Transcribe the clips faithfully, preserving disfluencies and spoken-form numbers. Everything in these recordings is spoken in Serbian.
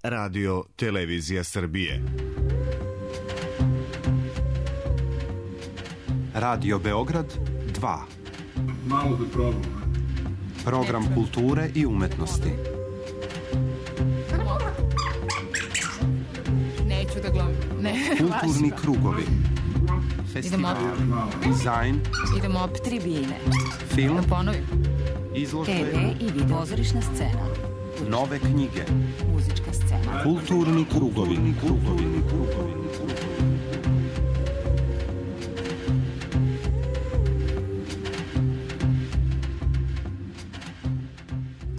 Radio Televizija Srbije. Radio Beograd dva. Malo da probam. Program kulture i umetnosti. Neću da glumim. Ne, kulturni krugovi. Festival. Dizajn. Idemo opet tribine. Film. Da ponovim. Izložbe. te ve i video. Pozorišna scena. Nove knjige. Muzička scena. Kulturni krugovi. Kulturni krugovi.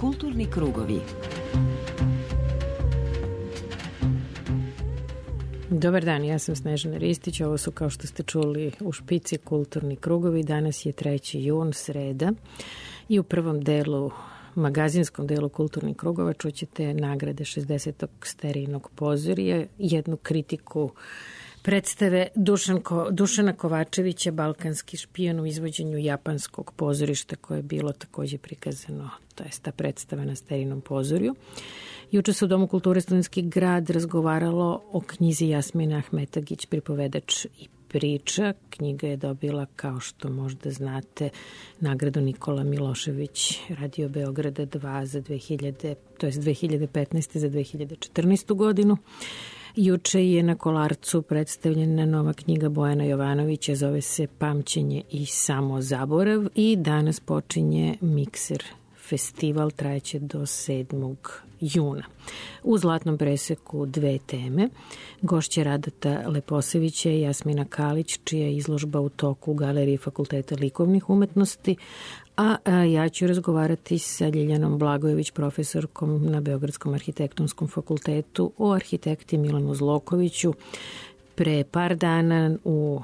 Kulturni krugovi. Dobar dan, ja sam Snežana Ristić, ovo su, kao što ste čuli, u špici kulturni krugovi. Danas je treći jun, sreda, i u prvom delu, magazinskom delu kulturnih krugova, čućete nagrade šezdesetog Sterijnog pozorija, jednu kritiku predstave Dušanko, Dušana Kovačevića, Balkanski špion, u izvođenju japanskog pozorišta koje je bilo takođe prikazano, to je ta predstava na Sterijinom pozorju. Juče se u Domu kulture Studentski grad razgovaralo o knjizi Jasmina Ahmetagić, Pripovedač i priča. Knjiga je dobila, kao što možda znate, nagradu Nikola Milošević Radio Beograda dva za dve hiljade, to je dve hiljade petnaeste za dve hiljade četrnaestu godinu. Juče je na Kolarcu predstavljena nova knjiga Bojana Jovanovića, zove se Pamćenje i samozaborav, i danas počinje Mikser festival, trajeće do sedmog juna. U Zlatnom preseku dve teme. Gošća Radata Leposevića i Jasmina Kalić, čija je izložba u toku u Galeriji Fakulteta likovnih umetnosti, a, a ja ću razgovarati sa Ljiljanom Blagojević, profesorkom na Beogradskom arhitektonskom fakultetu, o arhitekti Milanu Zlokoviću. Pre par dana u,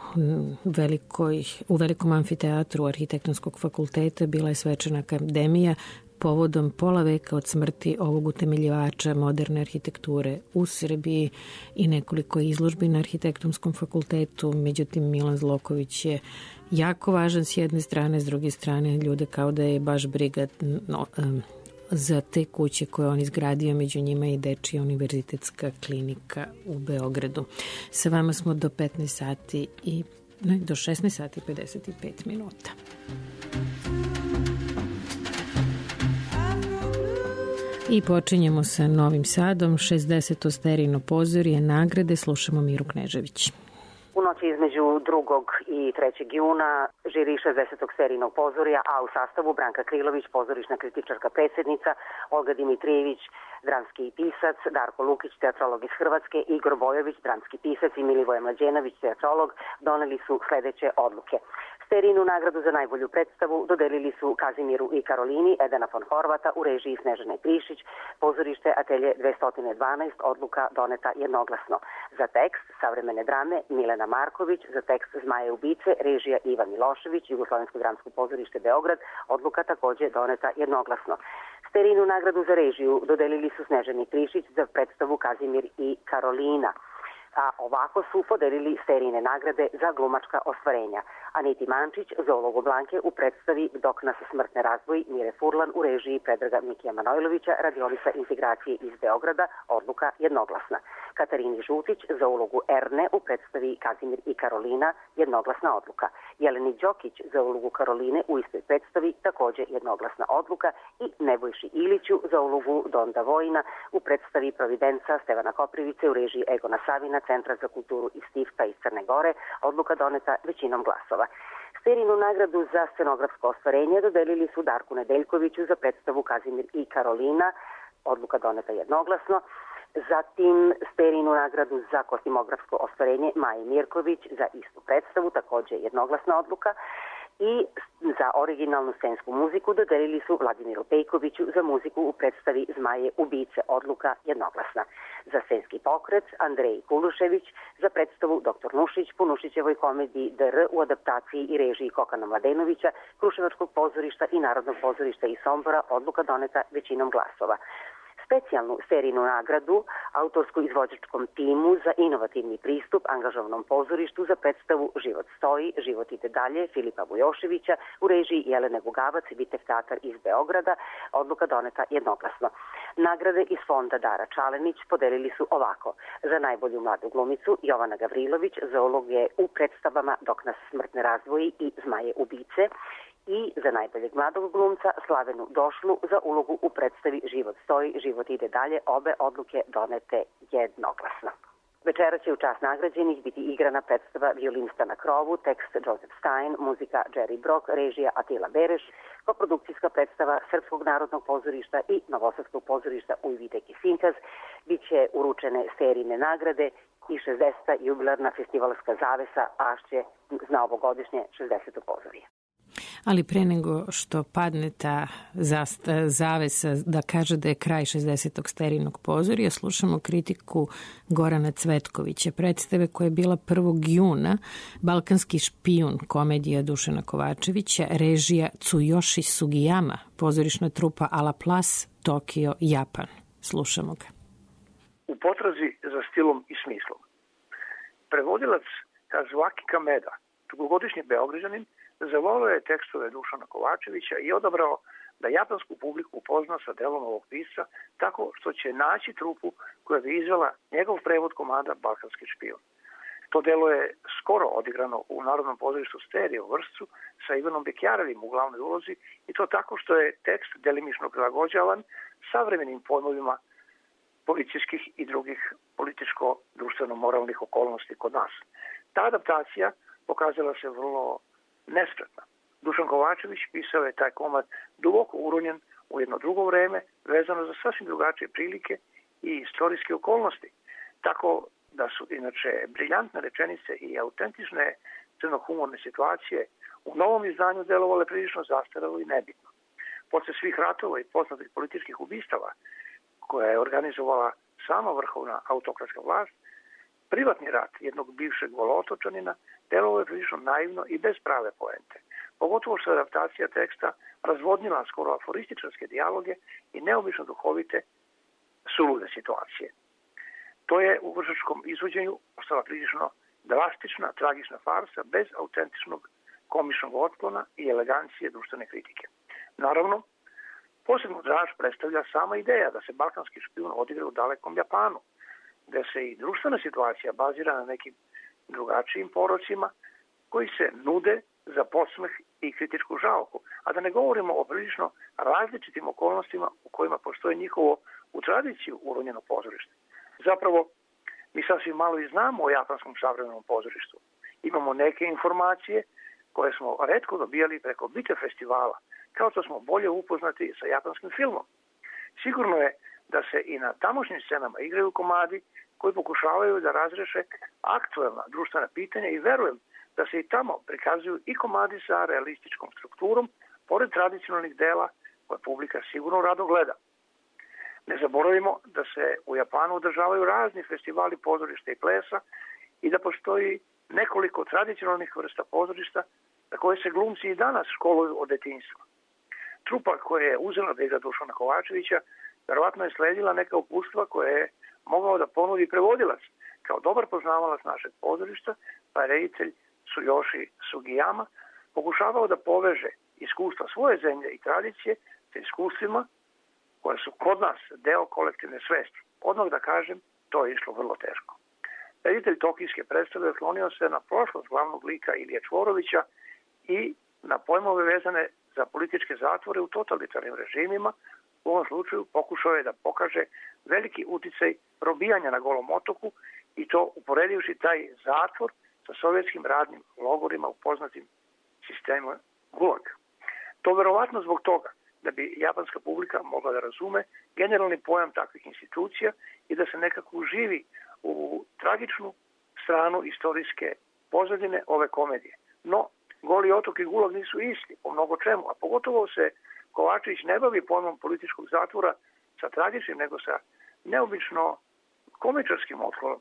velikoj, u velikom amfiteatru arhitektonskog fakulteta bila je svečana akademija povodom pola veka od smrti ovog utemeljivača moderne arhitekture u Srbiji i nekoliko izložbi na arhitektonskom fakultetu. Međutim, Milan Zloković je jako važan s jedne strane, s druge strane ljude kao da je baš briga no, um, za te kuće koje on izgradio, među njima i Dečija univerzitetska klinika u Beogradu. Sa vama smo do petnaest sati i ne, do šesnaest sati i pedeset pet minuta. I počinjemo sa Novim Sadom, šezdeseto Sterijino pozorje, nagrade, slušamo Miru Knežević. U noći između drugog i trećeg juna žiri šezdesetog Sterijinog pozorja, a u sastavu Branka Krilović, pozorišna kritičarka predsjednica, Olga Dimitrijević, dramski pisac, Darko Lukić, teatrolog iz Hrvatske, Igor Bojović, dramski pisac i Milivoje Mlađenović, teatrolog, doneli su sledeće odluke. Sterijinu nagradu za najbolju predstavu dodelili su Kazimiru i Karolini, Edena von Horvata, u režiji Snežane Prišić, pozorište Atelje dvesta dvanaest, odluka doneta jednoglasno. Za tekst savremene drame Milena Marković, za tekst Zmaje ubice, režija Ivan Milošević, Jugoslovensko dramsko pozorište Beograd, odluka takođe doneta jednoglasno. Sterijinu nagradu za režiju dodelili su Snežani Prišić za predstavu Kazimir i Karolina. A ovako su podelili Sterijine nagrade za glumačka ostvarenja. Aniti Mančić za ulogu Blanke u predstavi Dok nas smrtne razdvoji, Mire Furlan u režiji Predraga Mikija Manojlovića, radionica integracije iz Beograda, odluka jednoglasna. Katarini Žutić za ulogu Erne u predstavi Kazimir i Karolina, jednoglasna odluka. Jeleni Đokić za ulogu Karoline u istoj predstavi, takođe jednoglasna odluka, i Nebojši Iliću za ulogu Donda Vojina u predstavi Providenca Stevana Koprivice u režiji Egona Savina, Centra za kulturu iz Stifta iz Crne Gore, odluka doneta većinom glasova. Sterijinu nagradu za scenografsko ostvarenje dodelili su Darku Nedeljkoviću za predstavu Kazimir i Karolina, odluka doneta jednoglasno. Zatim Sterijinu nagradu za kostimografsko ostvarenje Maji Mirković za istu predstavu, takođe jednoglasna odluka. I za originalnu scensku muziku dodelili su Vladimiru Pejkoviću za muziku u predstavi Zmaje ubice, odluka jednoglasna. Za scenski pokret Andrej Kulušević za predstavu Doktor Nušić po Nušićevoj komediji D R u adaptaciji i režiji Kokana Mladenovića, Kruševačkog pozorišta i Narodnog pozorišta iz Sombora, odluka doneta većinom glasova. Specijalnu serijnu nagradu autorsko-izvođačkom timu za inovativni pristup angažovanom pozorištu za predstavu Život stoji, život ide dalje Filipa Vujoševića u režiji Jelene Gugavac i Vitev teatar iz Beograda, odluka doneta jednoglasno. Nagrade iz fonda Dara Čalenić podelili su ovako: za najbolju mladu glumicu Jovana Gavrilović za uloge u predstavama Dok nas smrt ne razdvoji i Zmaje ubice, i za najboljeg mladog glumca Slavenu Došlu za ulogu u predstavi Život stoji, život ide dalje, obe odluke donete jednoglasno. Večera će u čast nagrađenih biti igrana predstava Violinista na krovu, tekst Joseph Stein, muzika Jerry Brock, režija Atila Bereš, koprodukcijska predstava Srpskog narodnog pozorišta i Novosadskog pozorišta Ujvitek i Sinkaz. Biće uručene serijne nagrade i šezdeseta jubilarna festivalska zavesa Ašće na ovogodišnje šezdeseto pozorije. Ali pre nego što padne ta zavesa da kaže da je kraj šezdesetog sterijnog pozorija, slušamo kritiku Gorana Cvetkovića, predstave koja je bila prvog juna, Balkanski špijun, komedija Dušana Kovačevića, režija Tsuyoshi Sugiyama, pozorišna trupa Ala Plas, Tokio, Japan. Slušamo ga. U potrazi za stilom i smislom. Prevodilac Kazuaki Kameda, dugogodišnji Beograđanin, zavolio je tekstove Dušana Kovačevića i odabrao da japansku publiku upozna sa delom ovog pisca tako što će naći trupu koja bi izvela njegov prevod komada Balkanski špijun. To delo je skoro odigrano u Narodnom pozorištu Stereo u Vršcu sa Ivanom Bekjarevim u glavnoj ulozi, i to tako što je tekst delimično prilagođavan savremenim pojmovima policijskih i drugih političko-društveno-moralnih okolnosti kod nas. Ta adaptacija pokazala se vrlo nespretna. Dušan Kovačević pisao je taj komad duboko uronjen u jedno drugo vreme, vezano za sasvim drugačije prilike i istorijske okolnosti. Tako da su inače briljantne rečenice i autentične crnohumorne situacije u novom izdanju delovale prilično zastarelo i nebitno. Posle svih ratova i poznatih političkih ubistava koja je organizovala sama vrhovna autokratska vlast, privatni rat jednog bivšeg volotočanina delovao je prilično naivno i bez prave poente. Pogotovo što je adaptacija teksta razvodnila skoro aforističarske dijaloge i neobično duhovite sulude situacije. To je u vršačkom izvođenju ostala prilično drastična, tragična farsa bez autentičnog komičnog otklona i elegancije društvene kritike. Naravno, posebno draž predstavlja sama ideja da se Balkanski špijun odigra u dalekom Japanu, gde se i društvena situacija bazira na nekim drugačijim porocima koji se nude za podsmeh i kritičku žalku, a da ne govorimo o prilično različitim okolnostima u kojima postoje njihovo u tradiciju uronjeno pozorište. Zapravo, mi sasvim malo i znamo o japanskom savremenom pozorištu. Imamo neke informacije koje smo retko dobijali preko Bite festivala, kao što smo bolje upoznati sa japanskim filmom. Sigurno je da se i na tamošnjim scenama igraju komadi koji pokušavaju da razreše aktuelna društvena pitanja i verujem da se i tamo prikazuju i komadi sa realističkom strukturom, pored tradicionalnih dela koje publika sigurno rado gleda. Ne zaboravimo da se u Japanu održavaju razni festivali pozorišta i plesa i da postoji nekoliko tradicionalnih vrsta pozorišta na koje se glumci i danas školuju od detinjstva. Trupa koja je uzela da igra Dušana Kovačevića verovatno je sledila neka upustva koje je mogao da ponudi prevodilac kao dobar poznavalac našeg pozorišta, pa je reditelj Tsuyoshi Sugiyama pokušavao da poveže iskustva svoje zemlje i tradicije sa iskustvima koja su kod nas deo kolektivne svesti. Odmah da kažem, to je išlo vrlo teško. Reditelj tokijske predstave oslonio se na prošlost glavnog lika Ilije Čvorovića i na pojmove vezane za političke zatvore u totalitarnim režimima. U ovom slučaju pokušao je da pokaže veliki uticaj robijanja na Golom otoku i to uporedivši taj zatvor sa sovjetskim radnim logorima u poznatim sistemu Gulag. To verovatno zbog toga da bi japanska publika mogla da razume generalni pojam takvih institucija i da se nekako uživi u tragičnu stranu istorijske pozadine ove komedije. No, Goli otok i Gulag nisu isti po mnogo čemu, a pogotovo se Kovačević ne bavi pojmom političkog zatvora sa tragičnim, nego sa neobično komičarskim otklonom.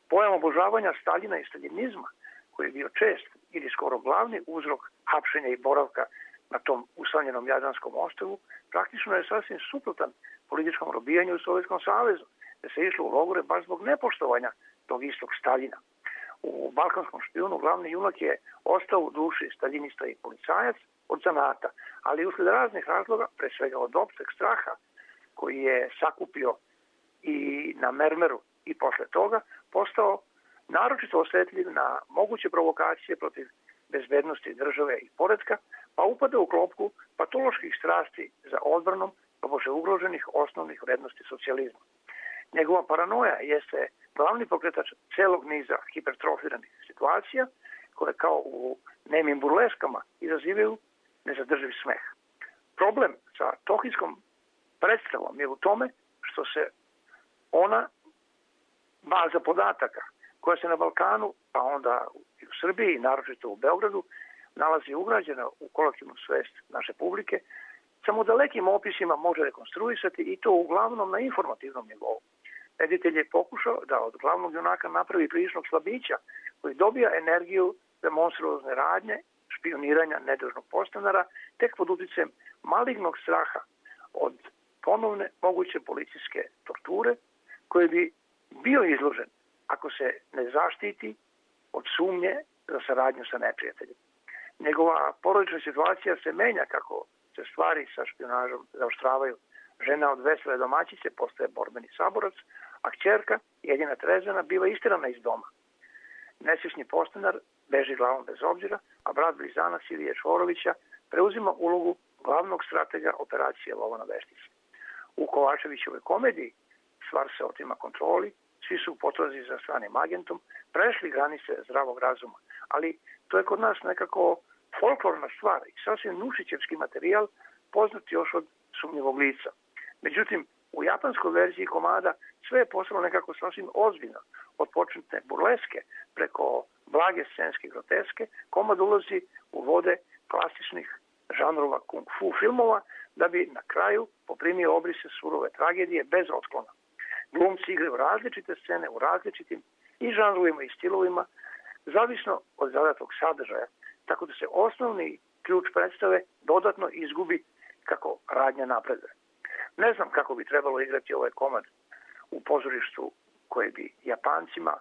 Pojam obožavanja Staljina i staljinizma, koji je bio čest ili skoro glavni uzrok hapšenja i boravka na tom usamljenom Jadranskom ostrvu, praktično je sasvim suprotan političkom robijanju u Sovjetskom savezu, da se išlo u logore baš zbog nepoštovanja tog istog Staljina. U Balkanskom špijunu glavni junak je ostao u duši staljinista i policajac od zanata, ali usled raznih razloga, pre svega od opšteg straha koji je sakupio i na mermeru i posle toga, postao naročito osetljiv na moguće provokacije protiv bezbednosti države i poretka, pa upada u klopku patoloških strasti za odbranom tobože ugroženih osnovnih vrednosti socijalizma. Njegova paranoja jeste glavni pokretač celog niza hipertrofiranih situacija koje kao u nemim burleskama izazivaju nezadrživ smeh. Problem sa tohijskom predstavom je u tome što se ona baza podataka koja se na Balkanu, pa onda i u Srbiji, naročito u Beogradu, nalazi ugrađena u kolektivnu svest naše publike, samo dalekim opisima može rekonstruisati i to uglavnom na informativnom nivou. Reditelj je pokušao da od glavnog junaka napravi priličnog slabića koji dobija energiju za monstruozne radnje, špioniranja nedužnog podstanara, tek pod uticajem malignog straha od ponovne moguće policijske torture koji bi bio izložen ako se ne zaštiti od sumnje za saradnju sa neprijateljem. Njegova porodična situacija se menja kako se stvari sa špionažom zaoštravaju. Žena od vesele domaćice postaje borbeni saborac, a kćerka, jedina Trezana, biva istirana iz doma. Nesvjesni podstanar beži glavom bez obzira, a brat blizanac Ilije Čvorovića preuzima ulogu glavnog stratega operacije Lova na veštice. U Kovačevićevoj komediji stvar se otima kontroli, svi su u potrazi za stranim agentom, prešli granice zdravog razuma, ali to je kod nas nekako folklorna stvar i sasvim nušićevski materijal poznat još od sumnjivog lica. Međutim, u japanskoj verziji komada sve je postalo nekako sasvim ozbiljno. Od početne burleske preko blage scenske groteske, komad ulazi u vode klasičnih žanrova kung fu filmova da bi na kraju poprimio obrise surove tragedije bez otklona. Glumci igraju različite scene u različitim i žanrovima i stilovima, zavisno od zadatog sadržaja, tako da se osnovni ključ predstave dodatno izgubi kako radnja napreduje. Ne znam kako bi trebalo igrati ovaj komad u pozorištu koje bi Japancima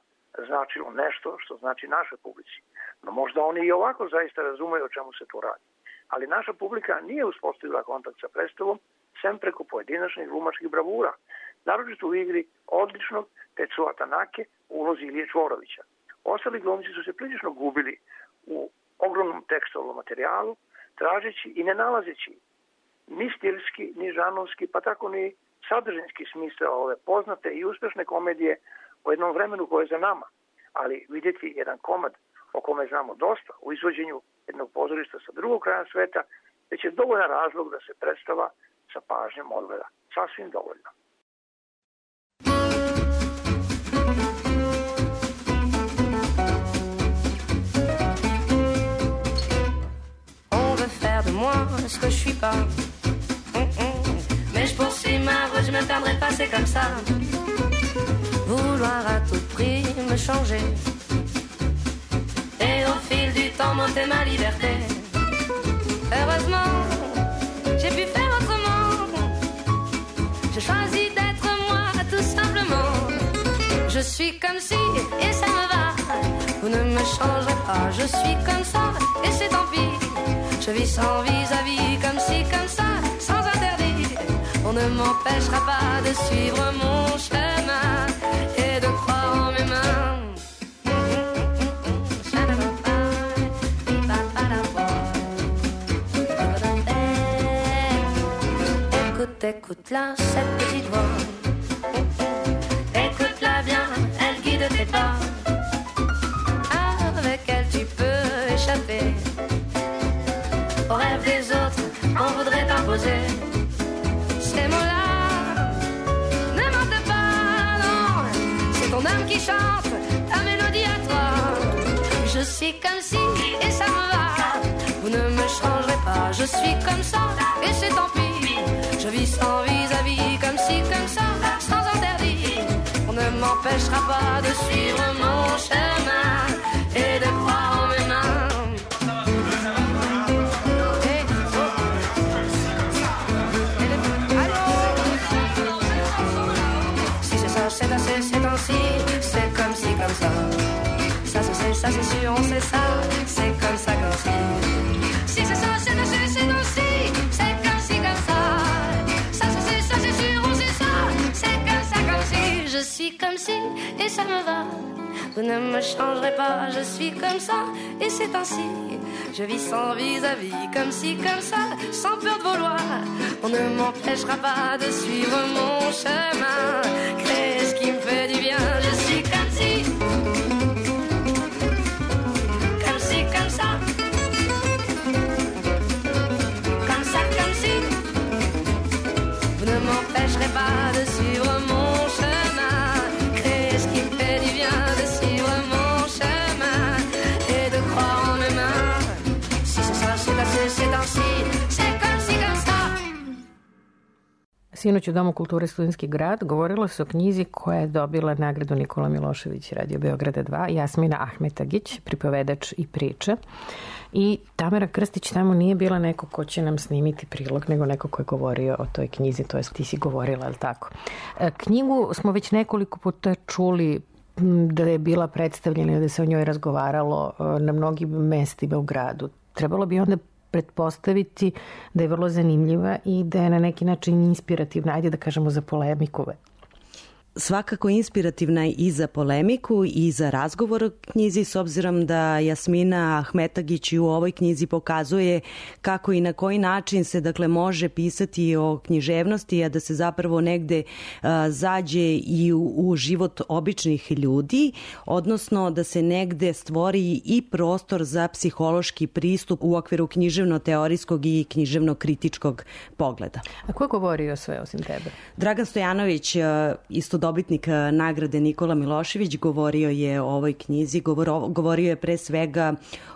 značilo nešto što znači našoj publici. No možda oni i ovako zaista razumeju o čemu se tu radi. Ali naša publika nije uspostavila kontakt sa predstavom sem preko pojedinačnih glumačkih bravura, naročito u igri odličnog Tetsuo Tanake u ulozi Ilije Čvorovića. Ostali glumci su se prilično gubili u ogromnom tekstualnom materijalu, tražeći i ne nalazeći ni stilski, ni žanovski, pa tako ni sadržinski smisao ove poznate i uspešne komedije o jednom vremenu koje je za nama. Ali vidjeti jedan komad o kome znamo dosta u izvođenju jednog pozorišta sa drugog kraja sveta, već je dovoljan razlog da se predstava sa pažnjom odgleda. Sasvim dovoljno. On veut faire de moi ce que je suis pas. Mais je poursuis ma route, je me perdrai pas, c'est comme ça. Vouloir à tout prix me changer. Et au fil du temps monter ma liberté. Heureusement, j'ai pu faire autrement. J'ai choisi d'être moi tout simplement. Je suis comme si et ça me va. Vous ne me changerez pas, je suis comme ça et c'est tant pis. Je vis sans vis-à-vis, comme si, comme ça, sans interdit. On ne m'empêchera pas de suivre mon chemin et de croire en mes mains. Écoute, écoute-la, cette petite voix. Écoute-la bien, elle guide tes pas. Avec elle tu peux échapper aux rêves des autres, on voudrait t'imposer ces mots-là. Ne mente pas, non, c'est ton âme qui chante ta mélodie à toi. Je suis comme si et ça me va. Vous ne me changerez pas, je suis comme ça et c'est tant pis. Je vis sans vis-à-vis, comme si, comme ça, sans interdit. On ne m'empêchera pas de suivre mon chemin et de croire en mes mains. Hey, oh. c'est, c'est ainsi, c'est comme si, comme ça. Ça se sait, ça c'est sûr, on sait ça, c'est comme ça, comme si. Si c'est ça, c'est ainsi, c'est ainsi, c'est comme si, comme ça. Ça se sait, ça c'est sûr, on sait ça, c'est comme ça, comme si. Je suis comme si, et ça me va. Vous ne me changerez pas, je suis comme ça, et c'est ainsi. Je vis sans vis-à-vis, comme si, comme ça, sans peur de vouloir. On ne m'empêchera pas de suivre mon chemin, créer ce qui me fait du bien. Je suis comme si, comme si, comme ça, comme ça, comme si. Vous ne m'empêcherez pas de suivre mon chemin, créer ce qui me fait du bien, de suivre mon chemin et de croire en mes mains. C'est ainsi, c'est comme si, comme ça. Sinoć u Domu kulture Studentski grad govorilo se o knjizi koja je dobila nagradu Nikola Milošević Radio Beograda dva, Jasmina Ahmetagić, pripovedač i priče. I Tamara Krstić tamo nije bila neko ko će nam snimiti prilog, nego neko ko je govorio o toj knjizi, to je ti si govorila, je li tako? Knjigu smo već nekoliko puta čuli da je bila predstavljena, da se o njoj razgovaralo na mnogim mestima u gradu. Trebalo bi onda pretpostaviti da je vrlo zanimljiva i da je na neki način inspirativna, ajde da kažemo za polemiku. Svakako inspirativna i za polemiku i za razgovor o knjizi, s obzirom da Jasmina Ahmetagić u ovoj knjizi pokazuje kako i na koji način se dakle može pisati o književnosti, a da se zapravo negde a, zađe i u, u život običnih ljudi, odnosno da se negde stvori i prostor za psihološki pristup u okviru književno-teorijskog i književno-kritičkog pogleda. A ko je govorio sve osim tebe? Dragan Stojanović, isto dobitnik nagrade Nikola Milošević, govorio je o ovoj knjizi, govoro, govorio je pre svega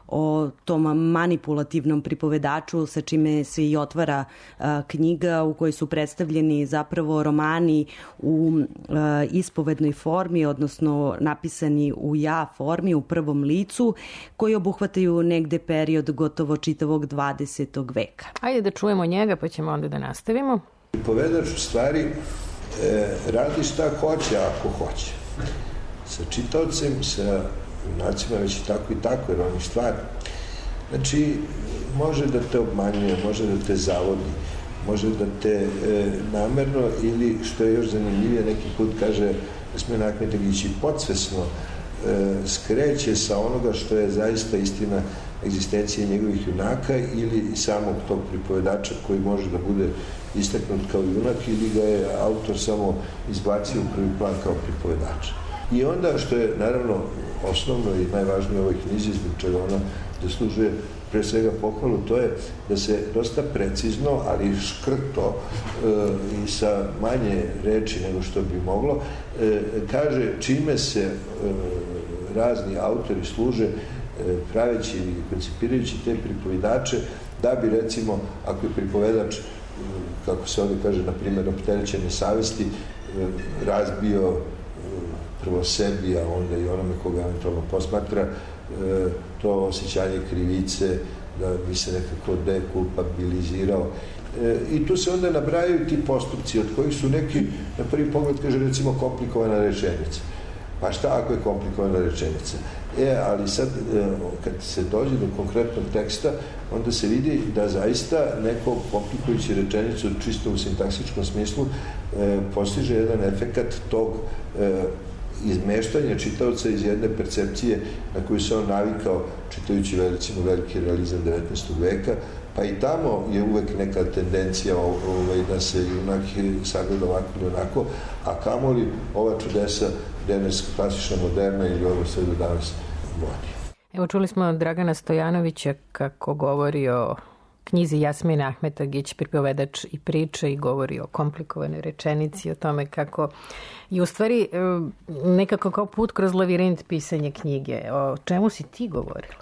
o tom manipulativnom pripovedaču sa čime se i otvara a, knjiga u kojoj su predstavljeni zapravo romani u a, ispovednoj formi, odnosno napisani u ja formi, u prvom licu, koji obuhvataju negde period gotovo čitavog dvadesetog veka. Ajde da čujemo njega pa ćemo onda da nastavimo. Pripovedač u stvari E, radi šta hoće ako hoće. Sa čitaocem, sa junacima već i tako i tako, jer oni stvari. Znači, može da te obmanjuje, može da te zavodi, može da te e, namerno ili, što je još zanimljivije, neki put kaže Jasmina Ahmetagić, i podsvesno e, skreće sa onoga što je zaista istina egzistencije njegovih junaka ili samog tog pripovedača koji može da bude istaknut kao junak ili ga je autor samo izbacio u prvi plan kao pripovedač. I onda, što je naravno osnovno i najvažnije u ovoj knjizi, zbog čega ona zaslužuje pre svega pohvalu, to je da se dosta precizno, ali škrto e, i sa manje reči nego što bi moglo, e, kaže čime se e, razni autori služe e, praveći i koncipirajući te pripovedače, da bi recimo, ako je pripovedač, kako se ovdje kaže, na primjer, opterećene savesti, razbio prvo sebi, a onda i onome koga eventualno posmatra, to osjećanje krivice, da bi se nekako dekulpabilizirao. I tu se onda nabrajaju ti postupci, od kojih su neki, na prvi pogled, kaže, recimo, komplikovana rečenica. Pa šta ako je komplikovana rečenica? E, ali sad, kad se dođe do konkretnog teksta, onda se vidi da zaista neko komplikujući rečenicu čisto u sintaksičkom smislu e, postiže jedan efekat tog e, izmeštanja čitaoca iz jedne percepcije na koju se on navikao čitajući recimo veliki realizam devetnaestog veka, pa i tamo je uvek neka tendencija ovaj, da se junak sagleda ovako ili onako, a kamoli ova čudesa danas klasična moderna ili ovo sve do danas vodi. Evo čuli smo Dragana Stojanovića kako govori o knjizi Jasmina Ahmetagić, pripovedač i priče, i govori o komplikovanoj rečenici, o tome kako i u stvari nekako kao put kroz lavirint pisanje knjige. O čemu si ti govorila?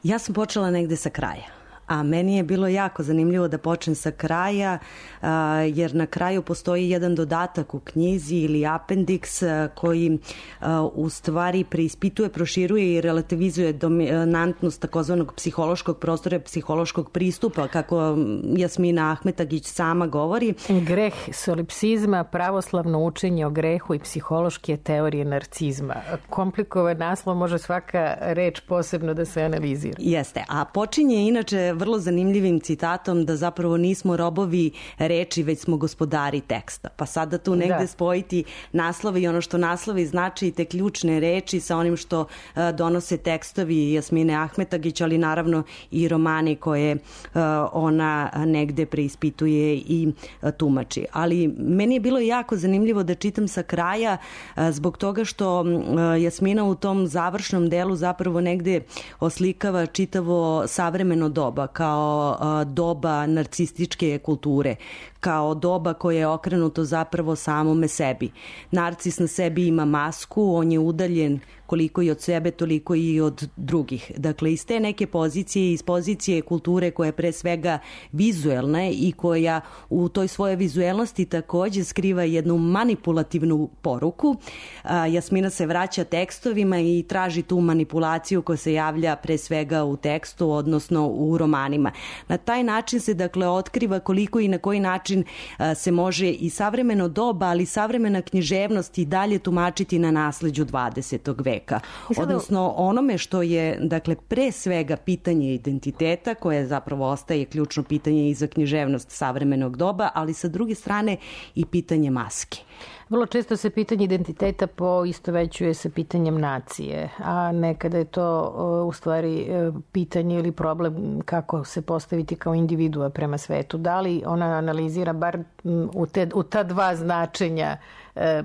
Ja sam počela negde sa kraja. A meni je bilo jako zanimljivo da počnem sa kraja, jer na kraju postoji jedan dodatak u knjizi ili apendiks koji u stvari preispituje, proširuje i relativizuje dominantnost takozvanog psihološkog prostora, psihološkog pristupa, kako Jasmina Ahmetagić sama govori. Greh solipsizma, pravoslavno učenje o grehu i psihološke teorije narcizma. Komplikovan naslov, može svaka reč posebno da se analizira. Jeste, a počinje inače vrlo zanimljivim citatom da zapravo nismo robovi reči, već smo gospodari teksta. Pa sada tu negde da. spojiti naslove i ono što naslovi znači i te ključne reči sa onim što uh, donose tekstovi Jasmine Ahmetagić, ali naravno i romani koje uh, ona negde preispituje i uh, tumači. Ali meni je bilo jako zanimljivo da čitam sa kraja uh, zbog toga što uh, Jasmina u tom završnom delu zapravo negde oslikava čitavo savremeno doba kao uh, doba narcističke kulture, kao doba koje je okrenuto zapravo samome sebi. Narcis na sebi ima masku, on je udaljen koliko i od sebe, toliko i od drugih. Dakle, iz te neke pozicije, iz pozicije kulture koja je pre svega vizuelna i koja u toj svojoj vizuelnosti takođe skriva jednu manipulativnu poruku, Jasmina se vraća tekstovima i traži tu manipulaciju koja se javlja pre svega u tekstu, odnosno u romanima. Na taj način se, dakle, otkriva koliko i na koji način se može i savremeno doba, ali savremena književnost i dalje tumačiti na nasleđu dvadesetog veka. Odnosno onome što je, dakle, pre svega pitanje identiteta, koje zapravo ostaje ključno pitanje i za književnost savremenog doba, ali sa druge strane i pitanje maske. Vrlo često se pitanje identiteta poistovećuje sa pitanjem nacije, a nekada je to u stvari pitanje ili problem kako se postaviti kao individua prema svetu. Da li ona analizira bar u, te, u ta dva značenja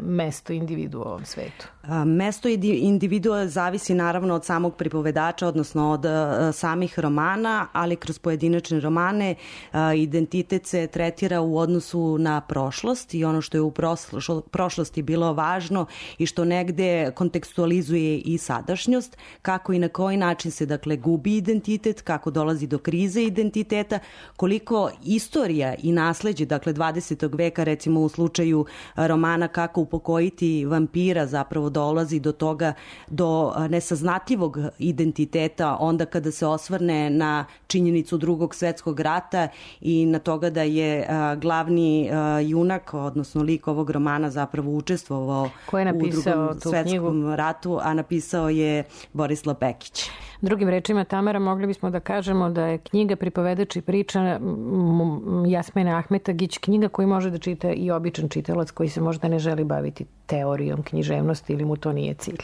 mesto individua u ovom svetu? Mesto individua zavisi naravno od samog pripovedača, odnosno od samih romana, ali kroz pojedinačne romane identitet se tretira u odnosu na prošlost i ono što je u prošlosti bilo važno i što negde kontekstualizuje i sadašnjost, kako i na koji način se, dakle, gubi identitet, kako dolazi do krize identiteta, koliko istorija i nasleđe, dakle, dvadesetog veka, recimo u slučaju romana Kako upokojiti vampira, zapravo dolazi do toga, do nesaznatljivog identiteta onda kada se osvrne na činjenicu Drugog svetskog rata i na toga da je a, glavni a, junak, odnosno lik ovog romana zapravo učestvovao u Drugom svetskom knjigu? ratu, a napisao je Borislav Pekić. Drugim rečima, Tamara, mogli bismo da kažemo da je knjiga Pripovedač i priča Jasmine Ahmetagić knjiga koju može da čita i običan čitalac koji se možda ne želi baviti teorijom književnosti ili mu to nije cilj.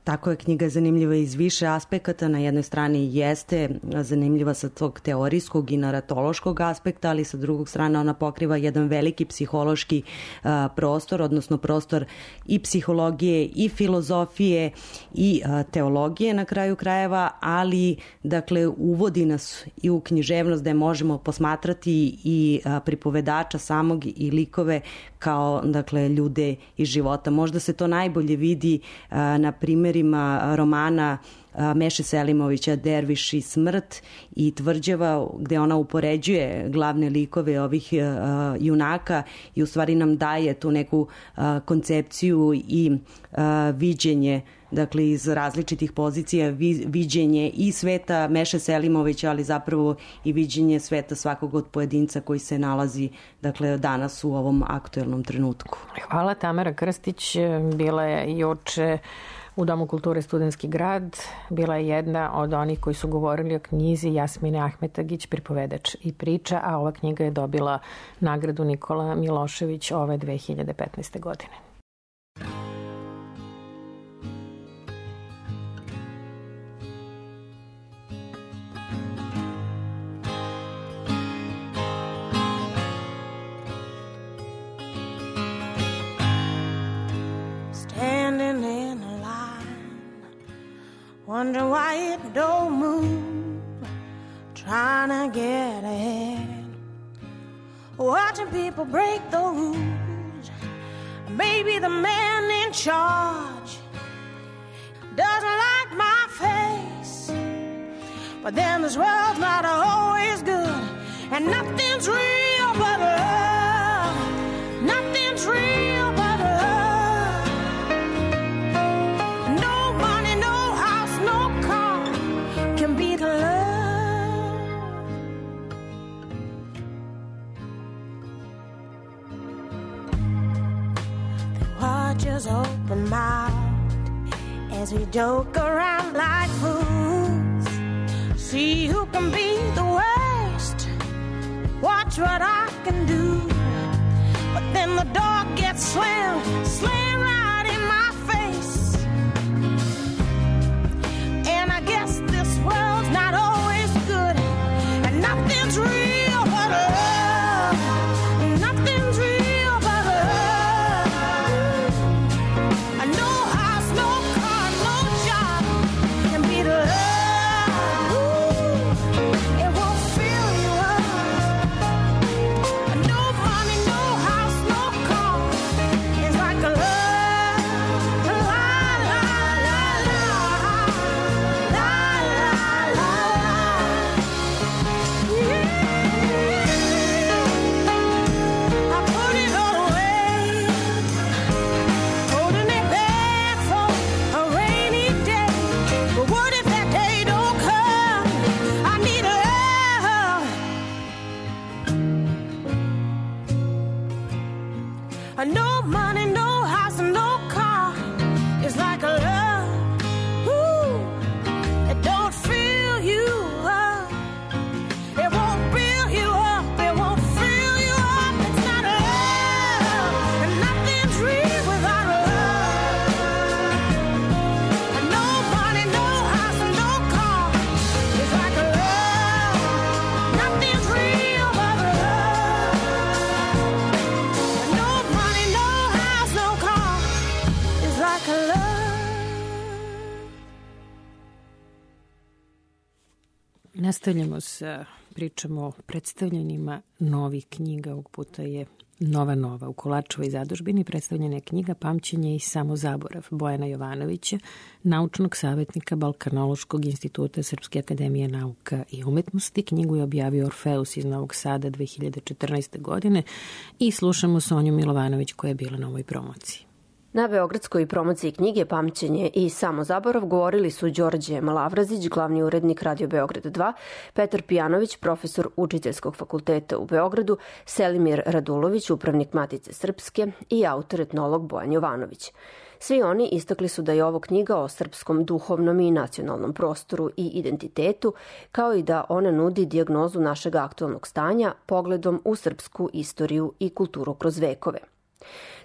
Tako je, knjiga zanimljiva iz više aspekata. Na jednoj strani jeste zanimljiva sa tog teorijskog i naratološkog aspekta, ali sa drugog strane ona pokriva jedan veliki psihološki a, prostor, odnosno prostor i psihologije i filozofije i a, teologije na kraju krajeva, ali, dakle, uvodi nas i u književnost gde možemo posmatrati i a, pripovedača samog i likove kao, dakle, ljude iz života. Možda se to najbolje vidi a, na primjer romana Meše Selimovića Derviš i smrt i Tvrđava, gde ona upoređuje glavne likove ovih uh, junaka i u stvari nam daje tu neku uh, koncepciju i uh, viđenje, dakle, iz različitih pozicija, vi, viđenje i sveta Meše Selimovića, ali zapravo i viđenje sveta svakog od pojedinca koji se nalazi, dakle, danas u ovom aktuelnom trenutku. Hvala. Tamara Krstić bila je juče u Domu kulture Studentski grad, bila je jedna od onih koji su govorili o knjizi Jasmine Ahmetagić Pripovedač i priča, a ova knjiga je dobila nagradu Nikola Milošević ove dve hiljade petnaeste. godine. Wonder why it don't move, trying to get ahead, watching people break the rules. Maybe the man in charge doesn't like my face, But then this world's not always good, and nothing's real but love. Nothing's real but love. No money, no house, no car can beat love. The watchers open mouthed as we joke around like fools. See who can be the worst. Watch what I can do. But then the door gets slammed, slammed right in my face. And I guess this world's not always good, and nothing's real but love. Nothing's real but love. No house, no car, no job can beat love. It won't fill you up. No money, no house, no car. It's like a love. La, la, la, la. La, la, la, la. Yeah. I put it all away, holding it back for a rainy day. But what if that day don't come? I need love. No money, no house, no car. It's like a love. Ooh, it don't fill you up. It won't fill you up. It won't fill you up. It's not love. And nothing's real without love. No money, no house, no car. It's like a love. Nothing's real but love. No money, no house, no car. It's like a love. Nastavljamo sa pričamo o predstavljanjima novih knjiga. Ovog puta je Nova Nova. U Kolarčevoj zadužbini predstavljena je knjiga Pamćenje i samozaborav Bojana Jovanovića, naučnog savjetnika Balkanološkog instituta Srpske akademije nauka i umetnosti. Knjigu je objavio Orfeus iz Novog Sada dve hiljade četrnaeste. godine i slušamo Sonju Milovanović koja je bila na ovoj promociji. Na beogradskoj promociji knjige Pamćenje i samozaborav govorili su Đorđe Malavrazić, glavni urednik Radio Beograd dva, Petar Pijanović, profesor Učiteljskog fakulteta u Beogradu, Selimir Radulović, upravnik Matice Srpske i autor etnolog Bojan Jovanović. Svi oni istakli su da je ovo knjiga o srpskom duhovnom i nacionalnom prostoru i identitetu, kao i da ona nudi dijagnozu našeg aktualnog stanja pogledom u srpsku istoriju i kulturu kroz vekove.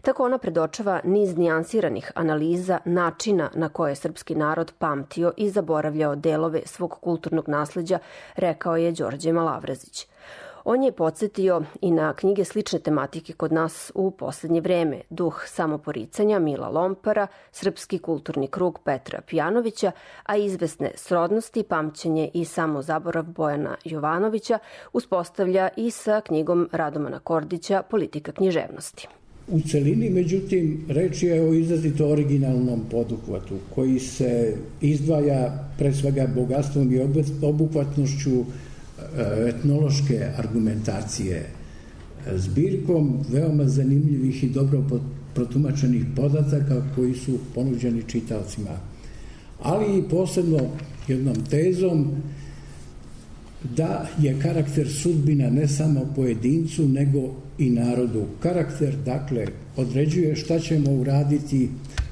Tako ona predočava niz nijansiranih analiza načina na koje je srpski narod pamtio i zaboravljao delove svog kulturnog nasleđa, rekao je Đorđe Malavrazić. On je podsjetio i na knjige slične tematike kod nas u poslednje vreme, Duh samoporicanja Mila Lompara, Srpski kulturni krug Petra Pijanovića, a izvesne srodnosti, Pamćenje i samozaborav Bojana Jovanovića uspostavlja i sa knjigom Radomana Kordića Politika književnosti. U celini, međutim, reč je o izrazito originalnom poduhvatu koji se izdvaja pre svega bogatstvom i obuhvatnošću etnološke argumentacije, zbirkom veoma zanimljivih i dobro protumačenih podataka koji su ponuđeni čitaocima, ali i posebno jednom tezom da je karakter sudbina ne samo pojedincu, nego i narodu. Karakter, dakle, određuje šta ćemo uraditi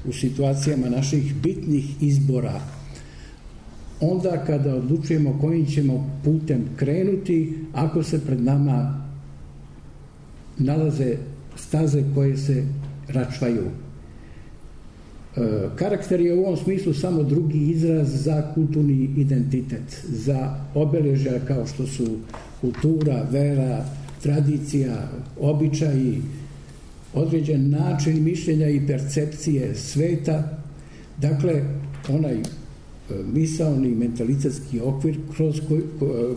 u situacijama naših bitnih izbora, onda kada odlučujemo kojim ćemo putem krenuti, ako se pred nama nalaze staze koje se račvaju. Karakter je u ovom smislu samo drugi izraz za kulturni identitet, za obeležja kao što su kultura, vera, tradicija, običaji, određen način mišljenja i percepcije sveta, dakle, onaj misaoni mentalitetski okvir kroz koji,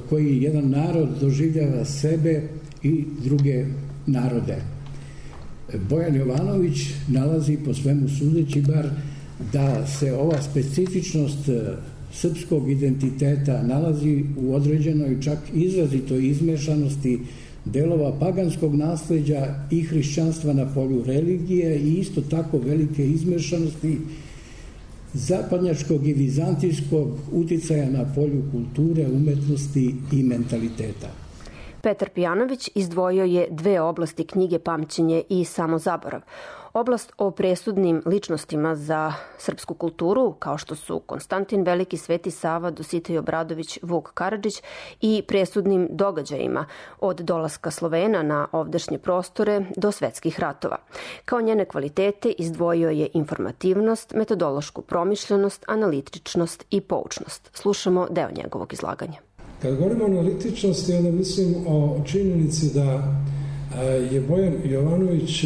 koji jedan narod doživljava sebe i druge narode. Bojan Jovanović nalazi, po svemu sudeći bar, da se ova specifičnost srpskog identiteta nalazi u određenoj čak izrazitoj izmešanosti delova paganskog nasleđa i hrišćanstva na polju religije i isto tako velike izmešanosti zapadnjačkog i vizantijskog uticaja na polju kulture, umetnosti i mentaliteta. Petar Pijanović izdvojio je dve oblasti knjige Pamćenje i Samozaborav. Oblast o presudnim ličnostima za srpsku kulturu, kao što su Konstantin Veliki, Sveti Sava, Dositej Obradović, Vuk Karadžić, i presudnim događajima od dolaska Slovena na ovdašnje prostore do svetskih ratova. Kao njene kvalitete izdvojio je informativnost, metodološku promišljenost, analitičnost i poučnost. Slušamo deo njegovog izlaganja. Kad govorimo o analitičnosti, onda mislim o činjenici da je Bojan Jovanović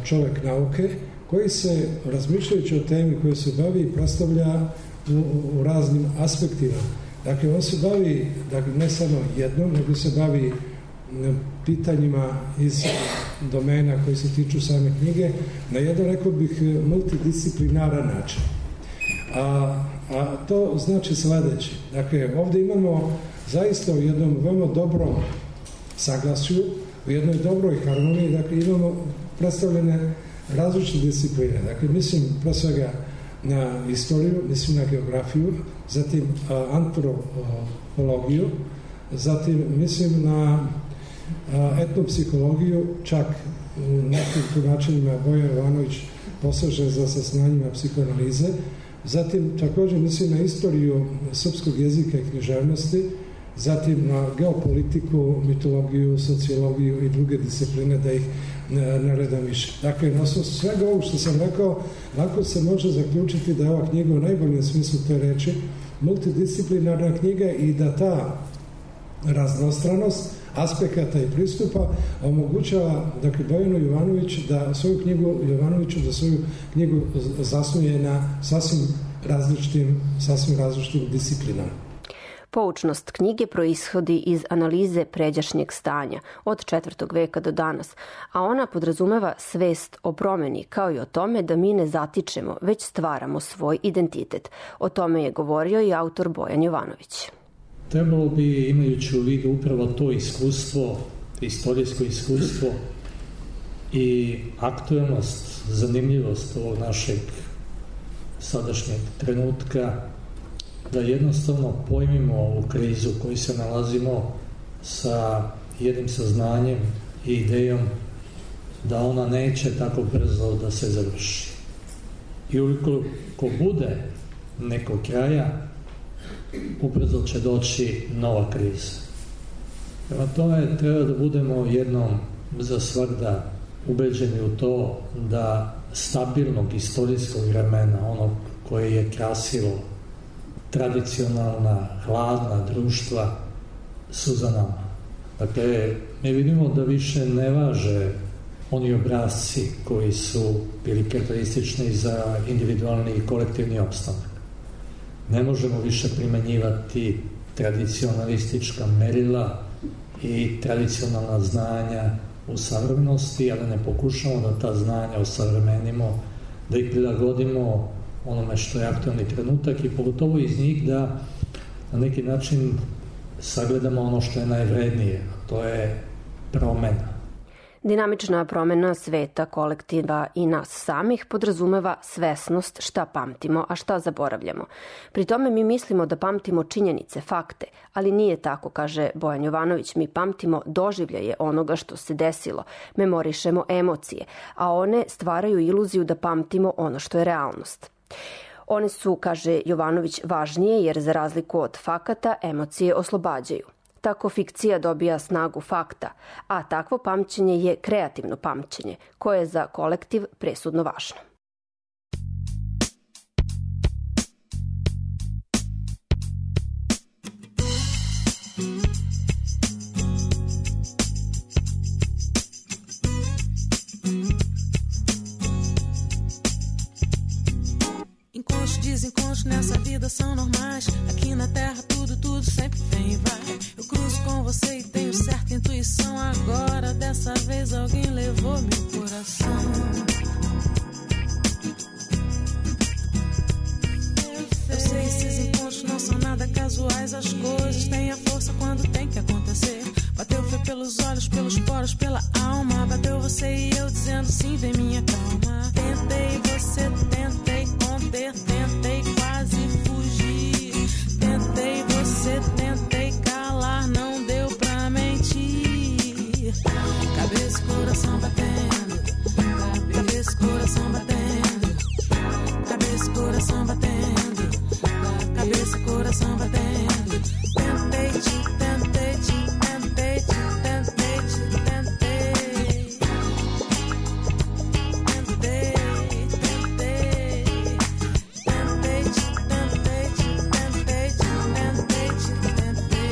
čovek nauke koji se, razmišljajući o temi koje se bavi, predstavlja u, u raznim aspektima. Dakle, on se bavi, dakle, ne samo jednom, nego se bavi pitanjima iz domena koji se tiču same knjige na jedan, rekao bih, multidisciplinaran način. A, a to znači sledeće. Dakle, ovde imamo zaista u jednom veoma dobrom saglasju, u jednoj dobroj harmoniji, dakle, imamo predstavljene različite discipline. Dakle, mislim pre svega na istoriju, mislim na geografiju, zatim a, antropologiju, zatim mislim na a, etnopsihologiju, čak u nekim tumačenjima Bojan Jovanović poseže za saznanjima psihoanalize, zatim također mislim na istoriju srpskog jezika i književnosti, zatim na geopolitiku, mitologiju, sociologiju i druge discipline, da ih ne redam više. Dakle, na osnovu svega ovog što sam rekao, lako se može zaključiti da je ova knjiga u najboljem smislu te reči multidisciplinarna knjiga i da ta raznostranost aspekata i pristupa omogućava, dakle, Bojanu Jovanović da svoju knjigu Jovanoviću da svoju knjigu zasnuje na sasvim različitim, sasvim različitim disciplinama. Poučnost knjige proishodi iz analize pređašnjeg stanja od četvrtog veka do danas, a ona podrazumeva svest o promeni, kao i o tome da mi ne zatičemo, već stvaramo svoj identitet. O tome je govorio i autor Bojan Jovanović. Trebalo bi, imajući u vidu upravo to iskustvo, istorijsko iskustvo i aktuelnost, zanimljivost ovog našeg sadašnjeg trenutka, da jednostavno pojmimo ovu krizu koju se nalazimo sa jednim saznanjem i idejom da ona neće tako brzo da se završi. I ukoliko bude nekog kraja, ubrzo će doći nova kriza. Prema tome treba da budemo jednom za svagda ubeđeni u to da stabilnog istorijskog vremena, ono koje je krasilo tradicionalna, hladna društva, su za nama. Dakle, mi vidimo da više ne važe oni obrazci koji su bili karakteristični za individualni i kolektivni opstanak. Ne možemo više primenjivati tradicionalistička merila i tradicionalna znanja u savremenosti, ali ne pokušamo da ta znanja osavremenimo, da ih prilagodimo onome što je aktualni trenutak i pogotovo iz njih da na neki način sagledamo ono što je najvrednije, a to je promena. Dinamična promena sveta, kolektiva i nas samih podrazumeva svesnost šta pamtimo, a šta zaboravljamo. Pri tome mi mislimo da pamtimo činjenice, fakte, ali nije tako, kaže Bojan Jovanović. Mi pamtimo doživljaje onoga što se desilo, memorišemo emocije, a one stvaraju iluziju da pamtimo ono što je realnost. One su, kaže Jovanović, važnije jer za razliku od fakata emocije oslobađaju. Tako fikcija dobija snagu fakta, a takvo pamćenje je kreativno pamćenje, koje je za kolektiv presudno važno. Encontros, desencontros nessa vida são normais. Aqui na terra tudo, tudo sempre vem e vai. Eu cruzo com você e tenho certa intuição. Agora dessa vez alguém levou meu coração. Eu sei esses encontros casuais, as coisas têm a força quando tem que acontecer. Bateu foi pelos olhos, pelos poros, pela alma. Bateu você e eu dizendo sim, vem minha calma. Tentei, você tentei conter, tentei quase fugir. Tentei, você tentei calar, não deu pra mentir. Cabeça e coração batendo, cabeça e coração batendo, cabeça e coração batendo, cabeça e coração batendo. Tentei te, tentei te, tentei te, tentei te, tentei. Tentei, tentei, tentei te, tentei te, tentei te, tentei te, tentei.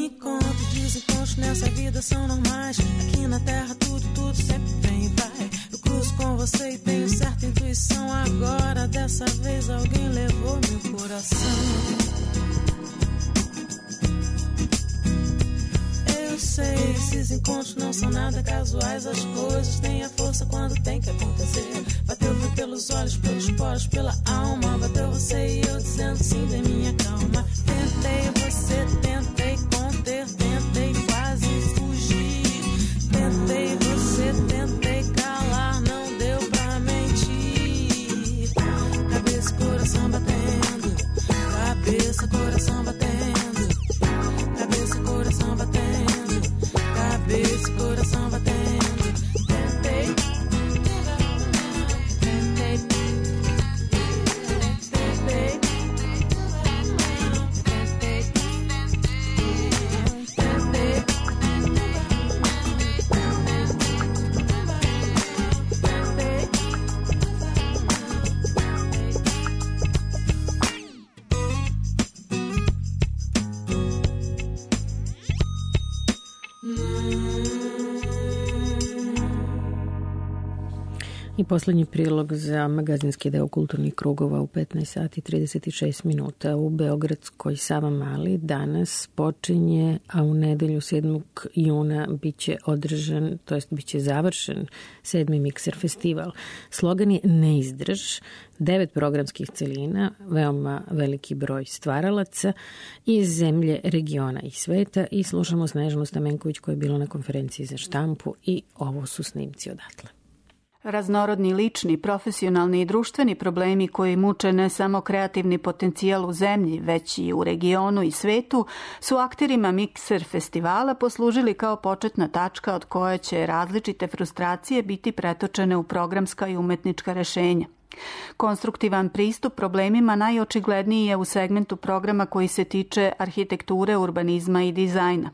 Encontros, desencontros nessa vida são normais. Aqui na terra tudo, tudo sempre vem e vai. Eu cruzo com você e tenho certa intuição. Agora dessa vez alguém levou meu coração. Eu sei, esses encontros não são nada casuais. As coisas têm a força quando tem que acontecer. Bateu foi pelos olhos, pelos poros, pela alma. Bateu você e eu dizendo sim, vem minha calma. Tentei, você tentei conter, tentei quase fugir. Tentei, você tentei calar, não deu pra mentir. Cabeça, coração batendo, cabeça, coração batendo, cabeça, coração batendo, cabeça, coração batendo. Tentei, tentei, tentei, I poslednji prilog za magazinski deo kulturnih krugova u petnaest sati i trideset šest minuta u beogradskoj Savamali danas počinje, a u nedelju sedmog juna biće održan, to jest biće završen sedmi Mikser festival. Slogan je Ne izdrž, devet programskih celina, veoma veliki broj stvaralaca iz zemlje, regiona i sveta i slušamo Snežanu Stamenković koja je bila na konferenciji za štampu i ovo su snimci odatle. Raznorodni lični, profesionalni i društveni problemi koji muče ne samo kreativni potencijal u zemlji, već i u regionu i svetu, su akterima Mikser festivala poslužili kao početna tačka od koje će različite frustracije biti pretočene u programska i umetnička rešenja. Konstruktivan pristup problemima najočigledniji je u segmentu programa koji se tiče arhitekture, urbanizma i dizajna.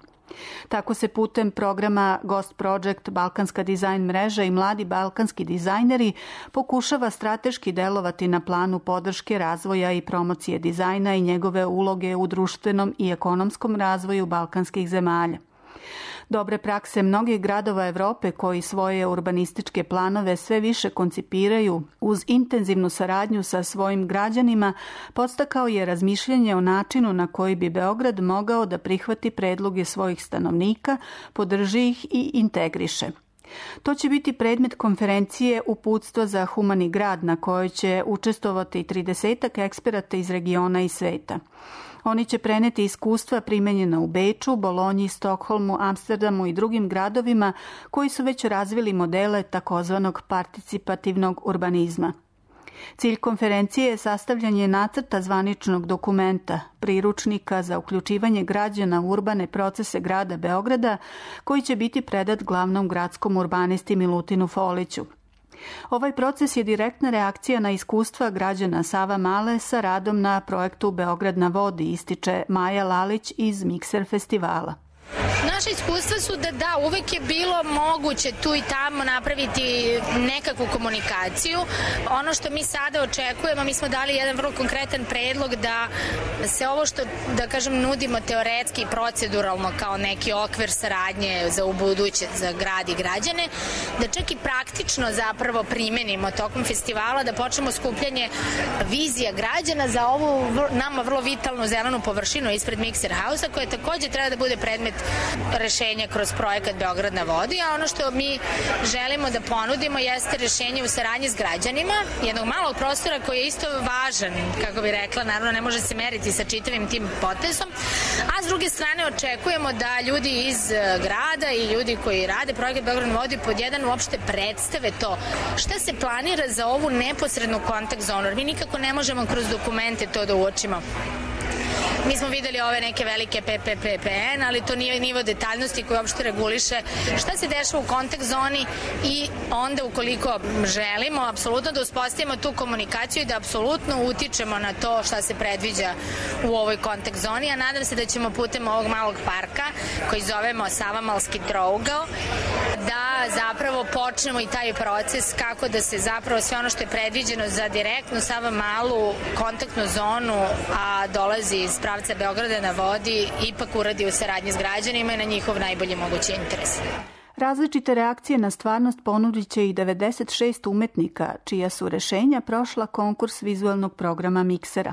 Tako se putem programa Ghost Project, Balkanska dizajn mreža i mladi balkanski dizajneri pokušava strateški delovati na planu podrške razvoja i promocije dizajna i njegove uloge u društvenom i ekonomskom razvoju balkanskih zemalja. Dobre prakse mnogih gradova Evrope koji svoje urbanističke planove sve više koncipiraju uz intenzivnu saradnju sa svojim građanima podstakao je razmišljanje o načinu na koji bi Beograd mogao da prihvati predloge svojih stanovnika, podrži ih i integriše. To će biti predmet konferencije Uputstvo za humani grad na kojoj će učestvovati tridesetak eksperata iz regiona i sveta. Oni će preneti iskustva primenjena u Beču, Bolonji, Stokholmu, Amsterdamu i drugim gradovima koji su već razvili modele takozvanog participativnog urbanizma. Cilj konferencije je sastavljanje nacrta zvaničnog dokumenta, priručnika za uključivanje građana u urbane procese grada Beograda, koji će biti predat glavnom gradskom urbanisti Milutinu Foliću. Ovaj proces je direktna reakcija na iskustva građana Savamale sa radom na projektu Beograd na vodi, ističe Maja Lalić iz Mikser festivala. Naše iskustva su da da, uvek je bilo moguće tu i tamo napraviti nekakvu komunikaciju. Ono što mi sada očekujemo, mi smo dali jedan vrlo konkretan predlog da se ovo što, da kažem, nudimo teoretski i proceduralno kao neki okvir saradnje za ubuduće, za grad i građane, da čak i praktično zapravo primenimo tokom festivala, da počnemo skupljanje vizija građana za ovu nama vrlo vitalnu zelenu površinu ispred Mikser Hausa, koja takođe treba da bude predmet rešenja kroz projekat Beograd na vodi, a ono što mi želimo da ponudimo jeste rešenje u saradnji s građanima jednog malog prostora koji je isto važan, kako bi rekla, naravno ne može se meriti sa čitavim tim potezom, a s druge strane očekujemo da ljudi iz grada i ljudi koji rade projekat Beograd na vodi pod jedan uopšte predstave to šta se planira za ovu neposrednu kontakt zonu, jer mi nikako ne možemo kroz dokumente to da uočimo. Mi smo videli ove neke velike P P P P N, ali to nije nivo detaljnosti koji uopšte reguliše šta se dešava u kontakt zoni i onda ukoliko želimo apsolutno da uspostavimo tu komunikaciju i da apsolutno utičemo na to šta se predviđa u ovoj kontakt zoni, a nadam se da ćemo putem ovog malog parka koji zovemo Savamalski trougao da zapravo počnemo i taj proces kako da se zapravo sve ono što je predviđeno za direktnu Savamalu kontaktnu zonu, a dolazi iz pravca Beograda na vodi, ipak uradi u saradnji s građanima i na njihov najbolji mogući interes. Različite reakcije na stvarnost ponudit će i devedeset šest umetnika, čija su rešenja prošla konkurs vizualnog programa Miksera.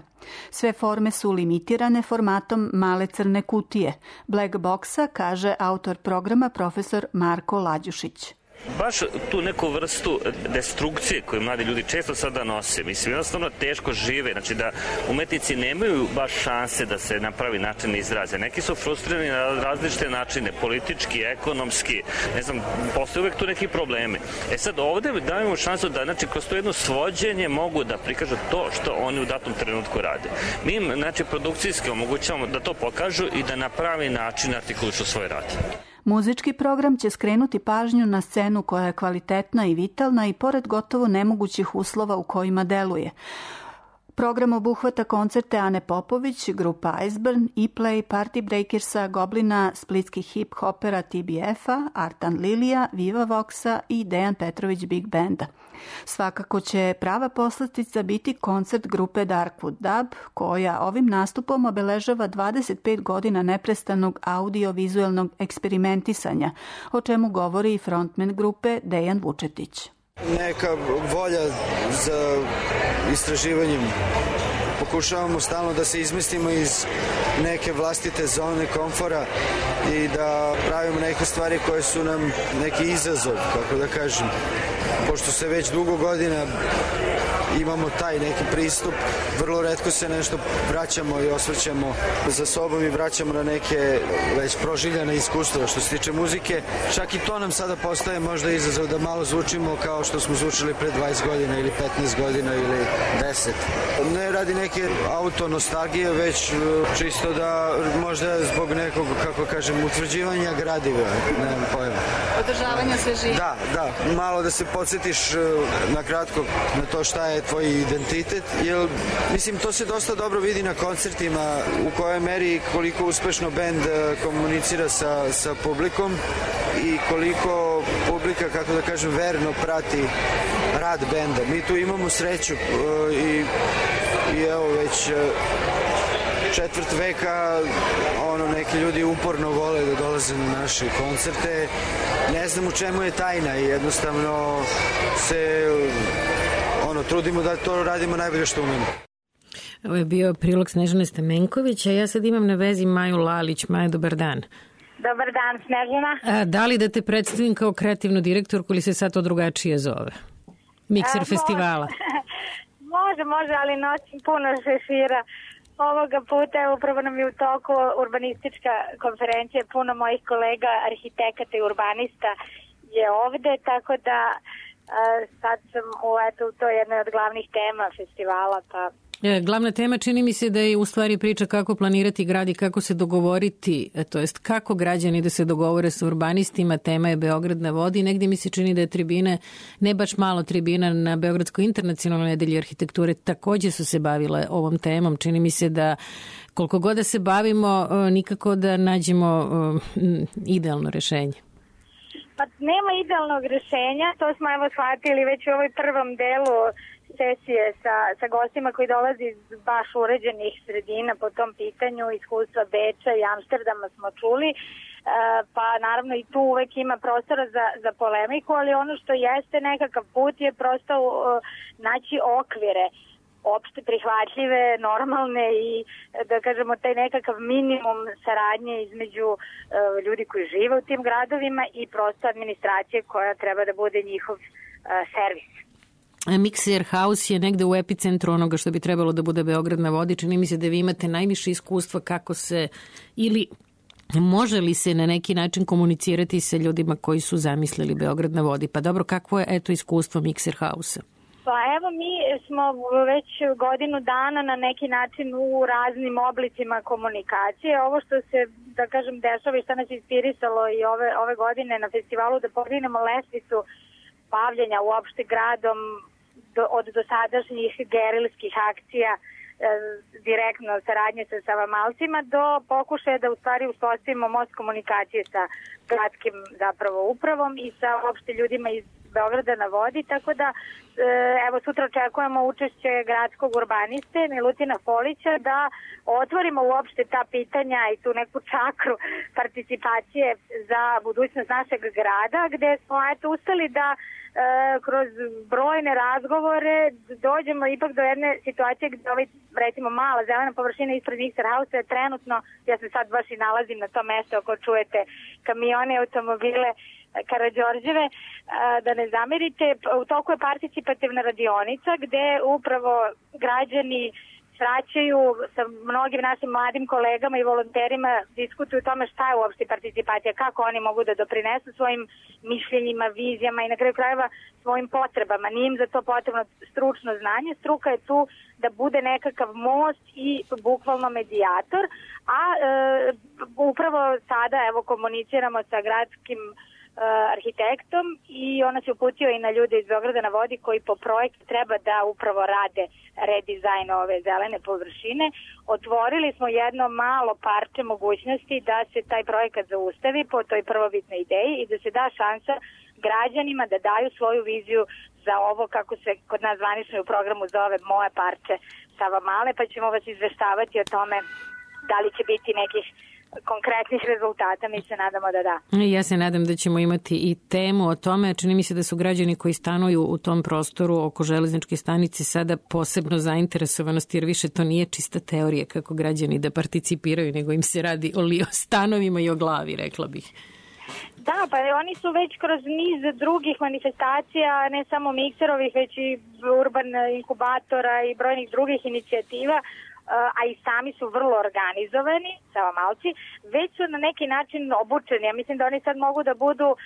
Sve forme su limitirane formatom male crne kutije. Black boxa, kaže autor programa profesor Marko Lađušić. Baš tu neku vrstu destrukcije koju mladi ljudi često sada nose, mislim, jednostavno teško žive, znači da umetnici nemaju baš šanse da se na pravi način izraze. Neki su frustrirani na različite načine, politički, ekonomski, ne znam, postoje uvek tu neki probleme. E sad ovde dajemo šansu da, znači, kroz to jedno svođenje mogu da prikažu to što oni u datom trenutku rade. Mi im, znači, produkcijski omogućavamo da to pokažu i da na pravi način artikulišu svoj rad. Muzički program će skrenuti pažnju na scenu koja je kvalitetna i vitalna i pored gotovo nemogućih uslova u kojima deluje. Program obuhvata koncerte Ane Popović, grupa Iceburn, E-Play, Party Breakersa, Goblina, splitskih hip-hopera T B F-a, Artan Lilija, Viva Voxa i Dejan Petrović Big Banda. Svakako će prava poslastica biti koncert grupe Darkwood Dub, koja ovim nastupom obeležava dvadeset pet godina neprestanog audio-vizualnog eksperimentisanja, o čemu govori i frontman grupe Dejan Vučetić. Neka volja za istraživanjem. Pokušavamo stalno da se izmestimo iz neke vlastite zone komfora i da pravimo neke stvari koje su nam neki izazov, kako da kažem. Pošto se već dugo godina imamo taj neki pristup, vrlo retko se nešto vraćamo i osvrćamo za sobom i vraćamo na neke već proživljene iskustva. Što se tiče muzike, čak i to nam sada postaje možda izazov da malo zvučimo kao što smo zvučili pre dvadeset godina ili petnaest godina ili deset. Ne radi neke autonostalgije, već čisto da možda zbog nekog, kako kažem, utvrđivanja gradiva, nemam pojma. Održavanja svežine. Da, da, malo da se podsjetiš na kratko na to šta je tvoj identitet, jer mislim to se dosta dobro vidi na koncertima u kojoj meri koliko uspešno bend komunicira sa, sa publikom i koliko publika, kako da kažem, verno prati rad benda. Mi tu imamo sreću i, i evo već četvrt veka ono, neki ljudi uporno vole da dolaze na naše koncerte. Ne znam u čemu je tajna i jednostavno se ono, trudimo da to radimo najbolje što umemo. Ovo je bio prilog Snežane Stamenković, a ja sad imam na vezi Maju Lalić. Maja, dobar dan. Dobar dan, Snežana. A, da li da te predstavim kao kreativnu direktorku ili se sad to drugačije zove? Mikser a, festivala. Može, može, može, ali nosim puno šešira. Ovoga puta, upravo nam je u toku urbanistička konferencija, puno mojih kolega, arhitekata i urbanista je ovde, tako da a, sad sam u, eto, u to jednoj od glavnih tema festivala, pa Glavna tema čini mi se da je u stvari priča kako planirati grad i kako se dogovoriti, to jest kako građani da se dogovore sa urbanistima. Tema je Beograd na vodi. Negdje mi se čini da je tribine, ne baš malo tribina na Beogradskoj internacionalnoj nedelji arhitekture također su se bavile ovom temom. Čini mi se da koliko god da se bavimo, nikako da nađemo idealno rešenje. Pa nema idealnog rešenja, to smo evo shvatili već u ovoj prvom delu sesije sa, sa gostima koji dolazi iz baš uređenih sredina po tom pitanju, iskustva Beča i Amsterdama smo čuli, e, pa naravno i tu uvek ima prostora za, za polemiku, ali ono što jeste nekakav put je prosto uh, naći okvire opšte prihvatljive, normalne i da kažemo taj nekakav minimum saradnje između uh, ljudi koji žive u tim gradovima i prosto administracije koja treba da bude njihov uh, servis. Mixer House je negde u epicentru onoga što bi trebalo da bude Beograd na vodi. Čini mi se da vi imate najviše iskustva kako se ili može li se na neki način komunicirati sa ljudima koji su zamislili Beograd na vodi. Pa dobro, kakvo je eto iskustvo Mixer House-a? Pa evo mi smo već godinu dana na neki način u raznim oblicima komunikacije. Ovo što se, da kažem, dešava i što nas inspirisalo i ove, ove godine na festivalu da podignemo lestvicu bavljenja uopšte gradom do, od dosadašnjih gerilskih akcija e, direktno saradnje sa Savamalcima do pokušaja da u stvari uspostavimo most komunikacije sa gradskim zapravo upravom i sa uopšte ljudima iz Beograda na vodi, tako da e, evo sutra očekujemo učešće gradskog urbaniste Milutina Polića da otvorimo uopšte ta pitanja i tu neku čakru participacije za budućnost našeg grada, gde smo eto ustali da e, kroz brojne razgovore dođemo ipak do jedne situacije gde ovaj, recimo, mala zelena površina ispred Mixer House je trenutno, ja se sad baš i nalazim na tom mestu ako čujete kamione, automobile, Karađorđeve, da ne zamerite, u toku je participativna radionica gde upravo građani svraćaju sa mnogim našim mladim kolegama i volonterima, diskutuju o tome šta je uopšte participacija, kako oni mogu da doprinesu svojim mišljenjima, vizijama i na kraju krajeva svojim potrebama. Nije im za to potrebno stručno znanje, struka je tu da bude nekakav most i bukvalno medijator, a e, upravo sada evo komuniciramo sa gradskim arhitektom i ona se uputio i na ljude iz Beograda na vodi koji po projektu treba da upravo rade redizajn ove zelene površine. Otvorili smo jedno malo parče mogućnosti da se taj projekat zaustavi po toj prvobitnoj ideji i da se da šansa građanima da daju svoju viziju za ovo, kako se kod nas zvanično u programu zove, moje parče Savamale, pa ćemo vas izveštavati o tome da li će biti nekih konkretnih rezultata, mi se nadamo da da. Ja se nadam da ćemo imati i temu o tome. Čini mi se da su građani koji stanuju u tom prostoru oko železničke stanice sada posebno zainteresovanosti, jer više to nije čista teorija kako građani da participiraju, nego im se radi o, li, o stanovima i o glavi, rekla bih. Da, pa oni su već kroz niz drugih manifestacija, ne samo mikserovih, već i urban inkubatora i brojnih drugih inicijativa, a i sami su vrlo organizovani, Savamalci, već su na neki način obučeni. Ja mislim da oni sad mogu da budu uh,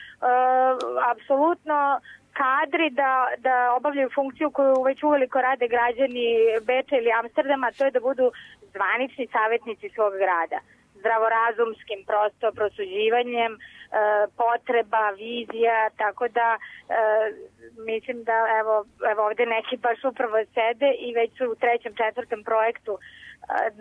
apsolutno kadri da, da obavljaju funkciju koju već uveliko rade građani Beča ili Amsterdama, to je da budu zvanični savjetnici svog grada. Zdravorazumskim prosto prosuđivanjem e, potreba, vizija, tako da e, mislim da evo, evo ovde neki baš upravo sede i već su u trećem, četvrtom projektu e,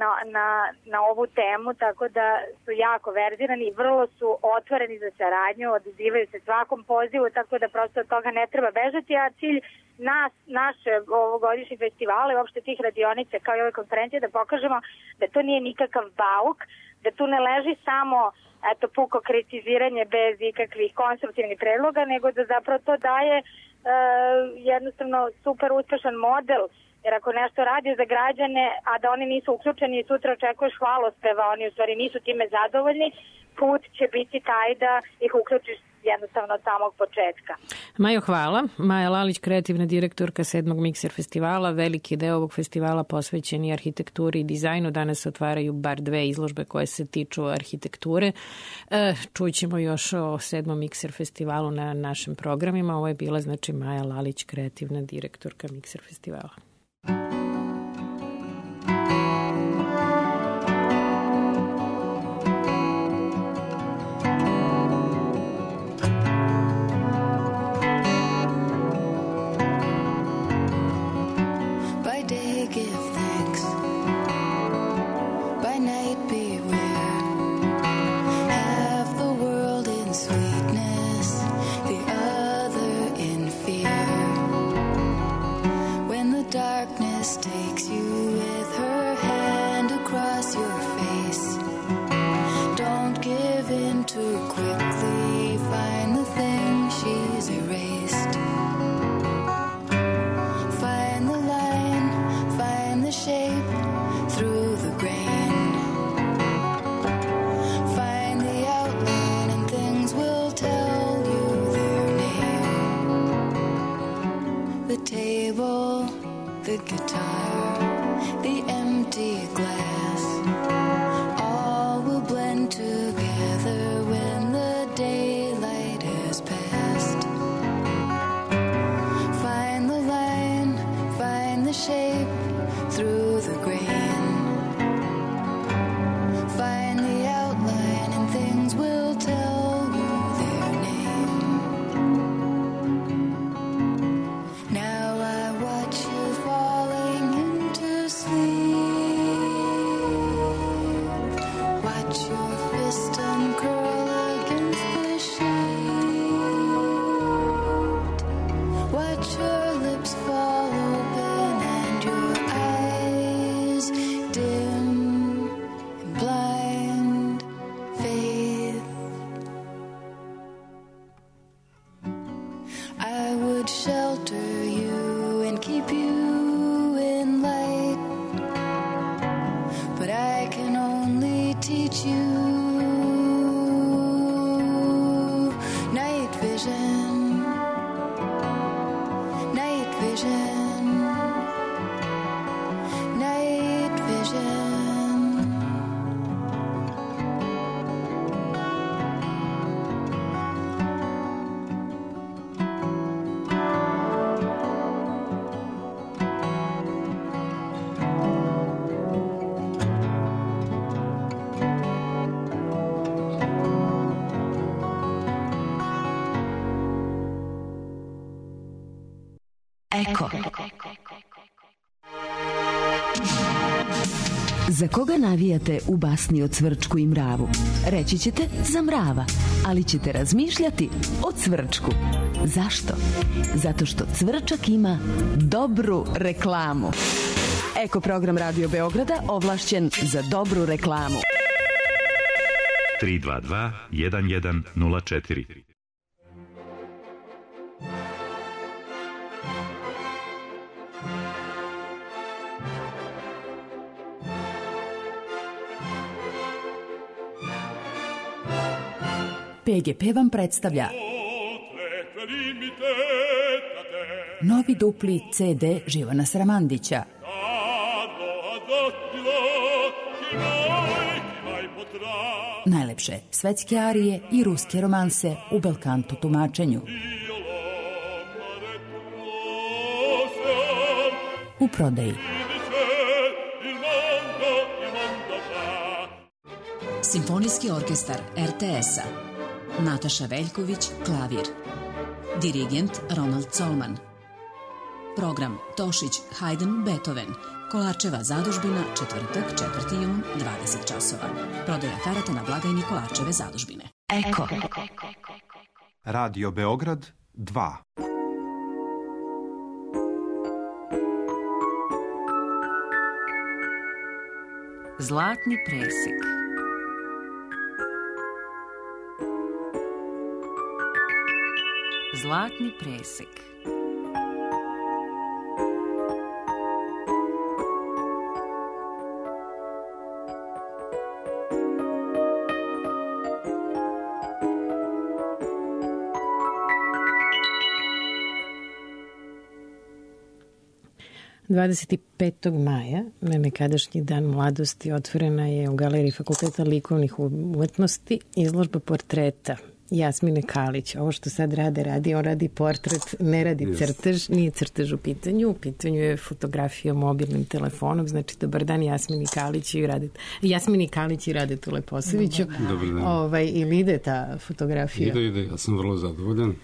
na, na, na ovu temu, tako da su jako verzirani i vrlo su otvoreni za saradnju, odazivaju se svakom pozivu, tako da prosto od toga ne treba bežati, a cilj nas, naše ovogodišnje festivale i uopšte tih radionica kao i ove konferencije da pokažemo da to nije nikakav bauk, da tu ne leži samo eto, puko kritiziranje bez ikakvih konstruktivnih predloga, nego da zapravo to daje e, jednostavno super uspešan model, jer ako nešto radi za građane, a da oni nisu uključeni i sutra očekuješ hvalospeva, oni u stvari nisu time zadovoljni, put će biti taj da ih uključiš jednostavno od samog početka. Majo, hvala. Maja Lalić, kreativna direktorka sedmog Mixer festivala. Veliki deo ovog festivala posvećen i arhitekturi i dizajnu. Danas se otvaraju bar dve izložbe koje se tiču arhitekture. E, čućemo još o sedmom Mixer festivalu na našim programima. Ovo je bila znači Maja Lalić, kreativna direktorka Mixer festivala. just takes you with her hand across your face. Don't give in too quickly, find the thing she's erased. Find the line, find the shape through the grain. Find the outline and things will tell you their name. The table, the guitar, the empty glass, all will blend together when the daylight has passed. Find the line, find the shape through the grain. Find the outline and things will tell you their name. Now I watch you falling into sleep. Watch your fist uncurl against the sheet. Watch your lips fall open and your eyes dim in blind faith. I would shelter you and keep you in light, but I can only teach you night vision, night vision, night vision. Eko. Za koga navijate u basni o Cvrčku i mravu? Reći ćete za mrava, ali ćete razmišljati o Cvrčku. Zašto? Zato što Cvrčak ima dobru reklamu. Eko program Radio Beograda ovlašćen za dobru reklamu. tri dva dva jedan jedan nula četiri. P G P vam predstavlja novi dupli C D Živana Sramandića. Najlepše svetske arije i ruske romanse u belkanto tumačenju. U prodaji. Simfonijski orkestar R T S-a. Nataša Veljković, klavir. Dirigent Ronald Colman. Program Tošić, Haydn, Beethoven. Kolarčeva zadužbina, četvrtak, četvrti jun, dvadeset časova. Prodaja karata na blagajni Kolarčeve zadužbine. Eko. Radio Beograd dva. Zlatni presek. Zlatni presek. dvadeset petog maja, na nekadašnji dan mladosti, otvorena je u Galeriji Fakulteta likovnih umetnosti izložba portreta Jasmine Kalić. Ovo što sad rade, radi, on radi portret, ne radi yes. crtež, nije crtež u pitanju, u pitanju je fotografija mobilnim telefonom, znači dobar dan Jasmini Kalić i Radet, Jasmini Kalić i Radetu Leposaviću. Dobar dan. Ovaj, ili ide ta fotografija? Ide, ide, ja sam vrlo zadovoljan.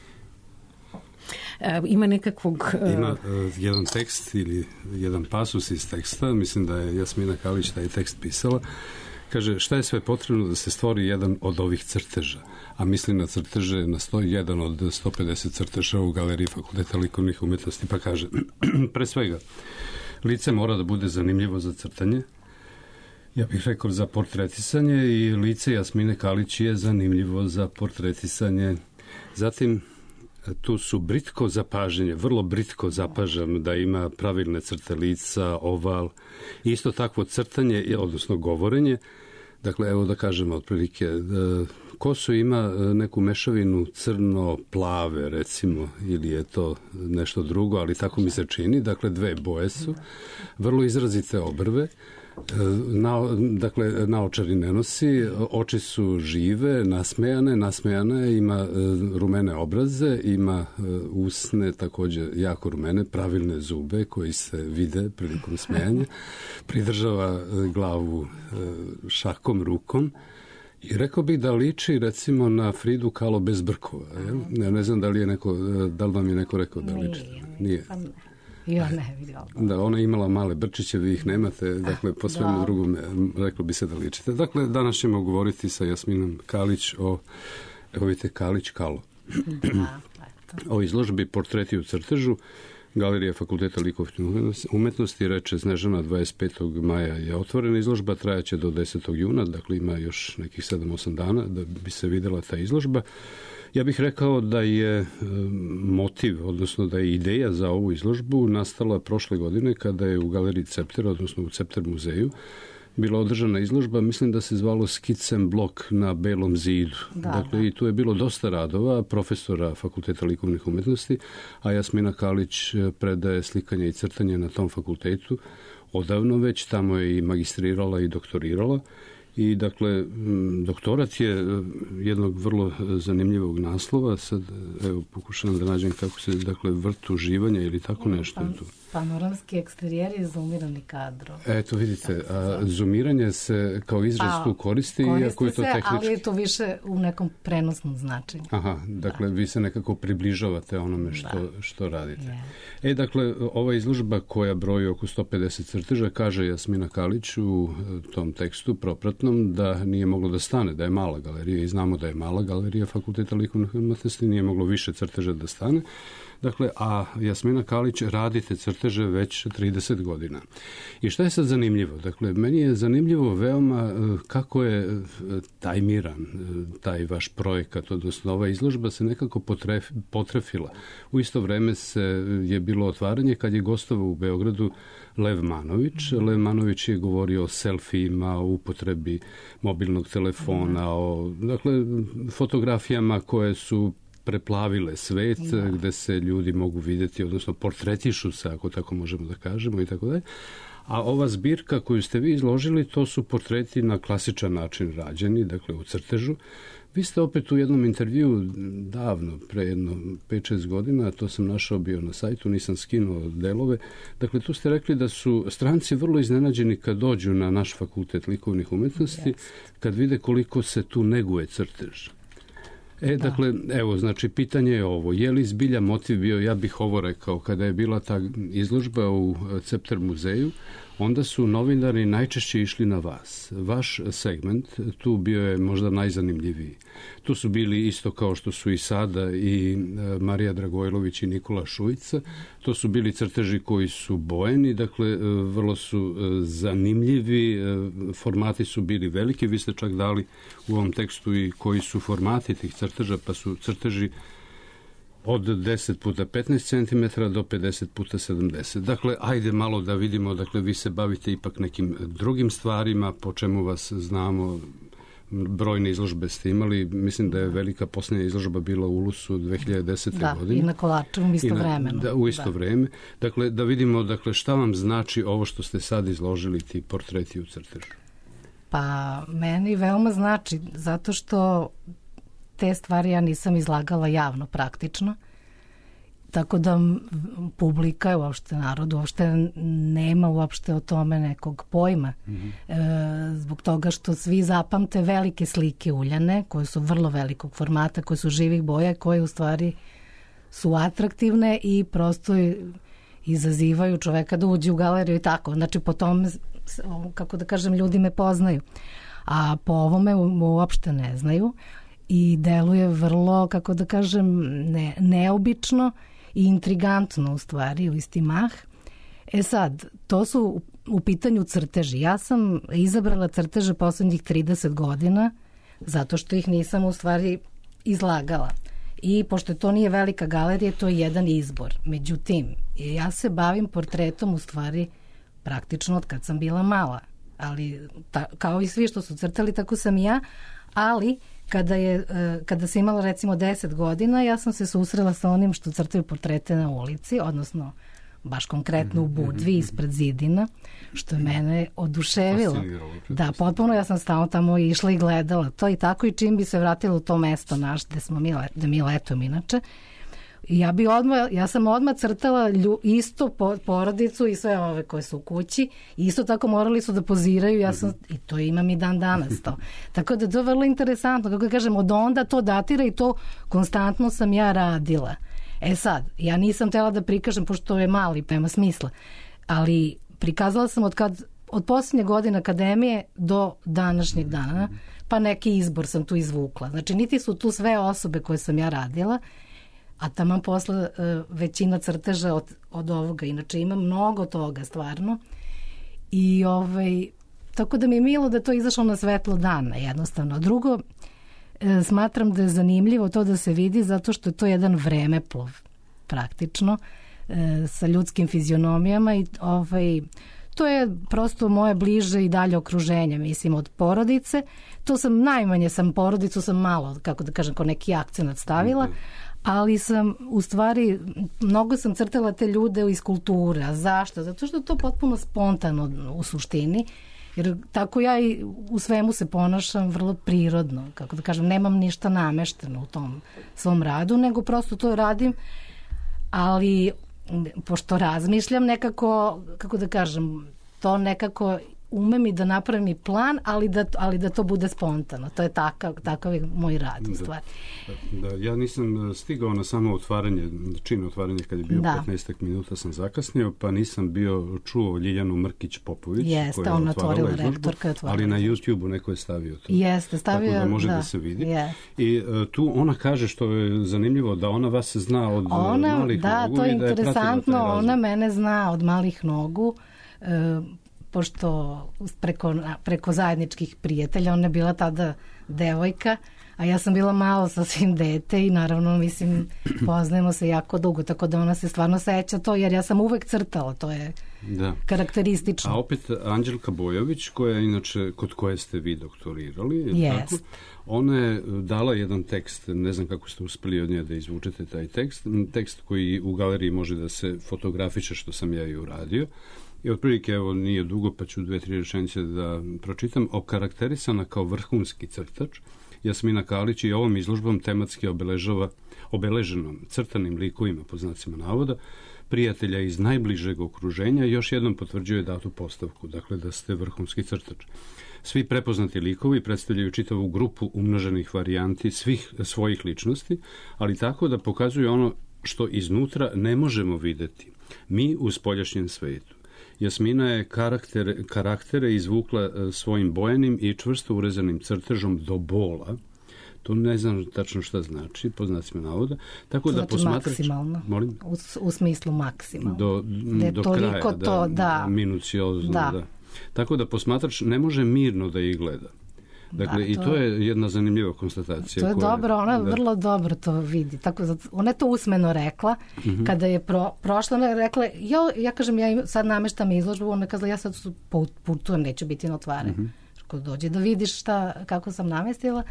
Ima nekakvog... Ima uh, jedan tekst ili jedan pasus iz teksta, mislim da je Jasmina Kalić taj tekst pisala. Kaže, šta je sve potrebno da se stvori jedan od ovih crteža? A mislim na crteže, na sto jedan od sto pedeset crteža u Galeriji Fakulteta likovnih umetnosti. Pa kaže, pre svega, Lice mora da bude zanimljivo za crtanje. Ja bih rekao za portretisanje i lice Jasmine Kalić je zanimljivo za portretisanje. Zatim, tu su britko zapaženje, vrlo britko zapažam da ima pravilne crte lica, oval. Isto takvo crtanje, odnosno govorenje. Dakle, evo da kažemo otprilike, kosu ima neku mešavinu crno-plave, recimo, ili je to nešto drugo, ali tako mi se čini. Dakle, dve boje su, vrlo izrazite obrve. Na, dakle, naočari ne nosi, oči su žive, nasmejane, nasmejana je, ima rumene obraze, ima usne takođe jako rumene, pravilne zube koji se vide prilikom smejanja, pridržava glavu šakom rukom i rekao bih da liči recimo na Fridu Kahlo bez brkova. Ja ne znam da li je neko, da li vam je neko rekao da liči? Nije. Ja ne vidjela. Da, ona je imala male brčiće, vi ih nemate, dakle, po svemu drugom reklo bi se da ličite. Dakle, danas ćemo govoriti sa Jasminom Kalić o, evo vidite, Kalić Kahlo. O izložbi Portreti u crtežu, Galerija Fakulteta likovne umetnosti, reče Snežana, dvadeset petog maja je otvorena izložba, trajaće do desetog juna, dakle ima još nekih sedam osam dana da bi se videla ta izložba. Ja bih rekao da je motiv, odnosno da je ideja za ovu izložbu nastala prošle godine kada je u Galeriji Cepter, odnosno u Cepter muzeju, bila održana izložba, mislim da se zvalo Skicem blok na Belom zidu. Da, dakle, da. I tu je bilo dosta radova profesora Fakulteta likovnih umetnosti, a Jasmina Kalić predaje slikanje i crtanje na tom fakultetu. Odavno već, tamo je i magistrirala i doktorirala. I dakle, doktorat je jednog vrlo zanimljivog naslova. Sad, evo, pokušavam da nađem kako se, dakle, vrt uživanja ili tako nešto je tu. Panoramski eksterijeri je zoomirani kadro. Eto, vidite, a zoomiranje se kao izraz tu koristi, iako je to tehnički. Ali je to više u nekom prenosnom značenju. Aha, dakle, da. Vi se nekako približavate onome što, da. što radite. Yeah. E, dakle, ova izložba koja broji oko sto pedeset crteža, kaže Jasmina Kalić u tom tekstu propratnom da nije moglo da stane, da je mala galerija i znamo da je mala galerija Fakulteta likovnih umetnosti, nije moglo više crteža da stane. Dakle, a Jasmina Kalić radi te crteže već trideset godina. I šta je sad zanimljivo? Dakle, meni je zanimljivo veoma kako je tajmiran taj vaš projekat, odnosno ova izložba se nekako potref, potrefila. U isto vreme se je bilo otvaranje kad je gostovao u Beogradu Lev Manović. Lev Manović je govorio o selfijima, o upotrebi mobilnog telefona, o, dakle, fotografijama koje su preplavile svet, da. Gde se ljudi mogu vidjeti, odnosno portretišu se, ako tako možemo da kažemo i tako dalje. A ova zbirka koju ste vi izložili, to su portreti na klasičan način rađeni, dakle u crtežu. Vi ste opet u jednom intervju davno, pre jedno pet šest godina, to sam našao bio na sajtu, nisam skinuo delove, dakle tu ste rekli da su stranci vrlo iznenađeni kad dođu na naš Fakultet likovnih umetnosti, kad vide koliko se tu neguje crtež. E, dakle, evo, znači, pitanje je ovo. Je li zbilja motiv bio, ja bih ovo rekao, kada je bila ta izložba u Cepter muzeju, onda su novinari najčešće išli na vas. Vaš segment tu bio je možda najzanimljiviji. Tu su bili isto kao što su i sada i Marija Dragojlović i Nikola Šujica. To su bili crteži koji su bojeni, dakle, vrlo su zanimljivi, formati su bili veliki. Vi ste čak dali u ovom tekstu i koji su formati tih crteža, pa su crteži od deset puta petnaest centimetara do pedeset puta sedamdeset. Dakle, ajde malo da vidimo, dakle, vi se bavite ipak nekim drugim stvarima, po čemu vas znamo, brojne izložbe ste imali, mislim da je velika posljednja izložba bila u Ulusu dve hiljade desete. Da, godine. I na Kovačevom isto vremeno. Da, u isto da. vreme. Dakle, da vidimo, dakle, šta vam znači ovo što ste sad izložili, ti portreti u crtežu? Pa, meni veoma znači, zato što te stvari ja nisam izlagala javno praktično, tako da publika, uopšte narod, uopšte nema uopšte o tome nekog pojma. Mm-hmm. E, zbog toga što svi zapamte velike slike uljane, koje su vrlo velikog formata, koje su živih boja, koje u stvari su atraktivne i prosto izazivaju čoveka da uđe u galeriju i tako. Znači, po tome, kako da kažem, ljudi me poznaju. A po ovome uopšte ne znaju. I deluje vrlo, kako da kažem, ne, neobično i intrigantno u stvari, u isti mah. E sad, to su u pitanju crteži. Ja sam izabrala crteže poslednjih trideset godina zato što ih nisam u stvari izlagala. I pošto to nije velika galerija, to je jedan izbor. Međutim, ja se bavim portretom u stvari praktično od kad sam bila mala. Ali ta, kao i svi što su crtali, tako sam i ja. Ali kada, je, kada sam imala recimo deset godina, ja sam se susrela sa onim što crtaju portrete na ulici, odnosno baš konkretno u Budvi ispred zidina, što je mene oduševilo. Da, potpuno ja sam stalno tamo išla i gledala to i tako, i čim bi se vratila u to mesto naš gde smo mi, gde mi letom inače. Ja bi odmah, ja sam odmah crtala lju, isto porodicu i sve ove koje su u kući, isto tako morali su da poziraju, ja sam, i to imam i dan danas to. Tako da to je vrlo interesantno, kako kažem, od onda to datira i to konstantno sam ja radila. E sad, ja nisam tela da prikažem, pošto je mali, nema smisla, ali prikazala sam od, kad, od posljednje godine akademije do današnjeg dana, pa neki izbor sam tu izvukla. Znači, niti su tu sve osobe koje sam ja radila, a tamo posle većina crteža od, od ovoga. Inače, ima mnogo toga, stvarno. I ovaj, tako da mi je milo da to izašlo na svetlo dana, jednostavno. Drugo, smatram da je zanimljivo to da se vidi zato što je to jedan vremeplov praktično sa ljudskim fizionomijama i ovaj, to je prosto moje bliže i dalje okruženje, mislim, od porodice. To sam, najmanje sam porodicu, sam malo, kako da kažem, kao neki akcenat stavila, ali sam, u stvari, mnogo sam crtala te ljude iz kulture. A zašto? Zato što je to potpuno spontano u suštini. Jer tako ja i u svemu se ponašam vrlo prirodno, kako da kažem, nemam ništa namešteno u tom svom radu, nego prosto to radim, ali pošto razmišljam nekako, kako da kažem, to nekako umem i da napravim i plan, ali da, ali da to bude spontano. To je takav, takav je moj rad u stvari. Da, da, ja nisam stigao na samo otvaranje, čin otvaranje kad je bio da. petnaest minuta sam zakasnio, pa nisam bio čuo Ljiljanu Mrkić-Popović. Jeste, ona je otvorila rektorka je otvorila. Ali na YouTube-u neko je stavio to. Jeste, stavio. Tako da može da, da se vidi. Yes. I uh, tu ona kaže, što je zanimljivo, da ona vas zna od ona, malih da, nogu. To je i da je interesantno, ona mene zna od malih nogu. Uh, pošto preko, preko zajedničkih prijatelja, ona je bila tada devojka, a ja sam bila malo sasvim dete i naravno, mislim, poznajemo se jako dugo, tako da ona se stvarno seća to, jer ja sam uvek crtala, to je da. karakteristično. A opet Anđelka Bojović, koja inače, kod koje ste vi doktorirali, je yes. tako? Ona je dala jedan tekst, ne znam kako ste uspeli od nje da izvučete taj tekst, tekst koji u galeriji može da se fotografiše, što sam ja i uradio. I otprilike, evo, nije dugo, pa ću dve, tri rečenice da pročitam. Okarakterisana kao vrhunski crtač, Jasmina Kalić i ovom izložbom tematski obeležava obeleženom crtanim likovima, po znacima navoda, prijatelja iz najbližeg okruženja, još jednom potvrđuje datu postavku, dakle da ste vrhunski crtač. Svi prepoznati likovi predstavljaju čitavu grupu umnoženih varijanti svih svojih ličnosti, ali tako da pokazuju ono što iznutra ne možemo videti, mi u spoljašnjem svetu. Jasmina je karakter, karaktere izvukla svojim bojanim i čvrsto urezanim crtežom do bola. To ne znam tačno šta znači, po znacima navoda. Tako znači da posmatrač, maksimalno. Molim? U, u smislu maksimalno. Do, do kraja, to, da, da. Minuciozno, da. da. Tako da posmatrač ne može mirno da ih gleda. Dakle, da, to i to je jedna zanimljiva konstatacija. To je koja, dobro, ona da. vrlo dobro to vidi. Tako, ona je to usmeno rekla. Mm-hmm. Kada je pro, prošla, ona je rekla, ja, ja kažem, ja sad nameštam izložbu, ona je kazala, ja sad putujem, neću biti na otvaranju. Mm-hmm. Ako dođe da vidiš šta, kako sam namestila.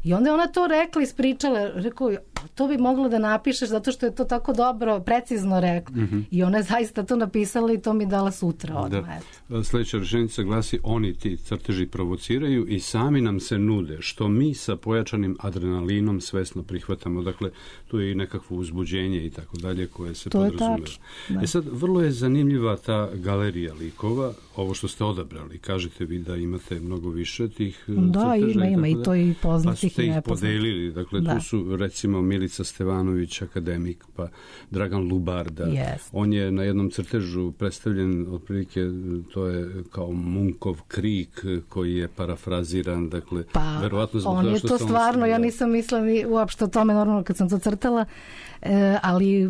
I onda je ona to rekla, ispričala, rekao, to bi moglo da napišeš zato što je to tako dobro, precizno rekla. Mm-hmm. I ona je zaista to napisala i to mi dala sutra odmah. Da. Sljedeća rečenica glasi, oni ti crteži provociraju i sami nam se nude, što mi sa pojačanim adrenalinom svesno prihvatamo. Dakle, tu je i nekakvo uzbuđenje i tako dalje koje se podrazumeva. E sad, vrlo je zanimljiva ta galerija likova, ovo što ste odabrali. Kažete vi da imate mnogo više tih da, crteža. Da, ima, ima i to i poznatih. Pa ste ih podelili. Dakle, da. Tu su, recimo, Milica Stevanović, akademik, pa Dragan Lubarda. Yes. On je na jednom crtežu predstavljen, otprilike, to je kao Munkov krik koji je parafraziran, dakle, pa, verovatno zbog on toga je što to sam stvarno, ja nisam mislila ni uopšte o tome normalno kad sam to crtala, e, ali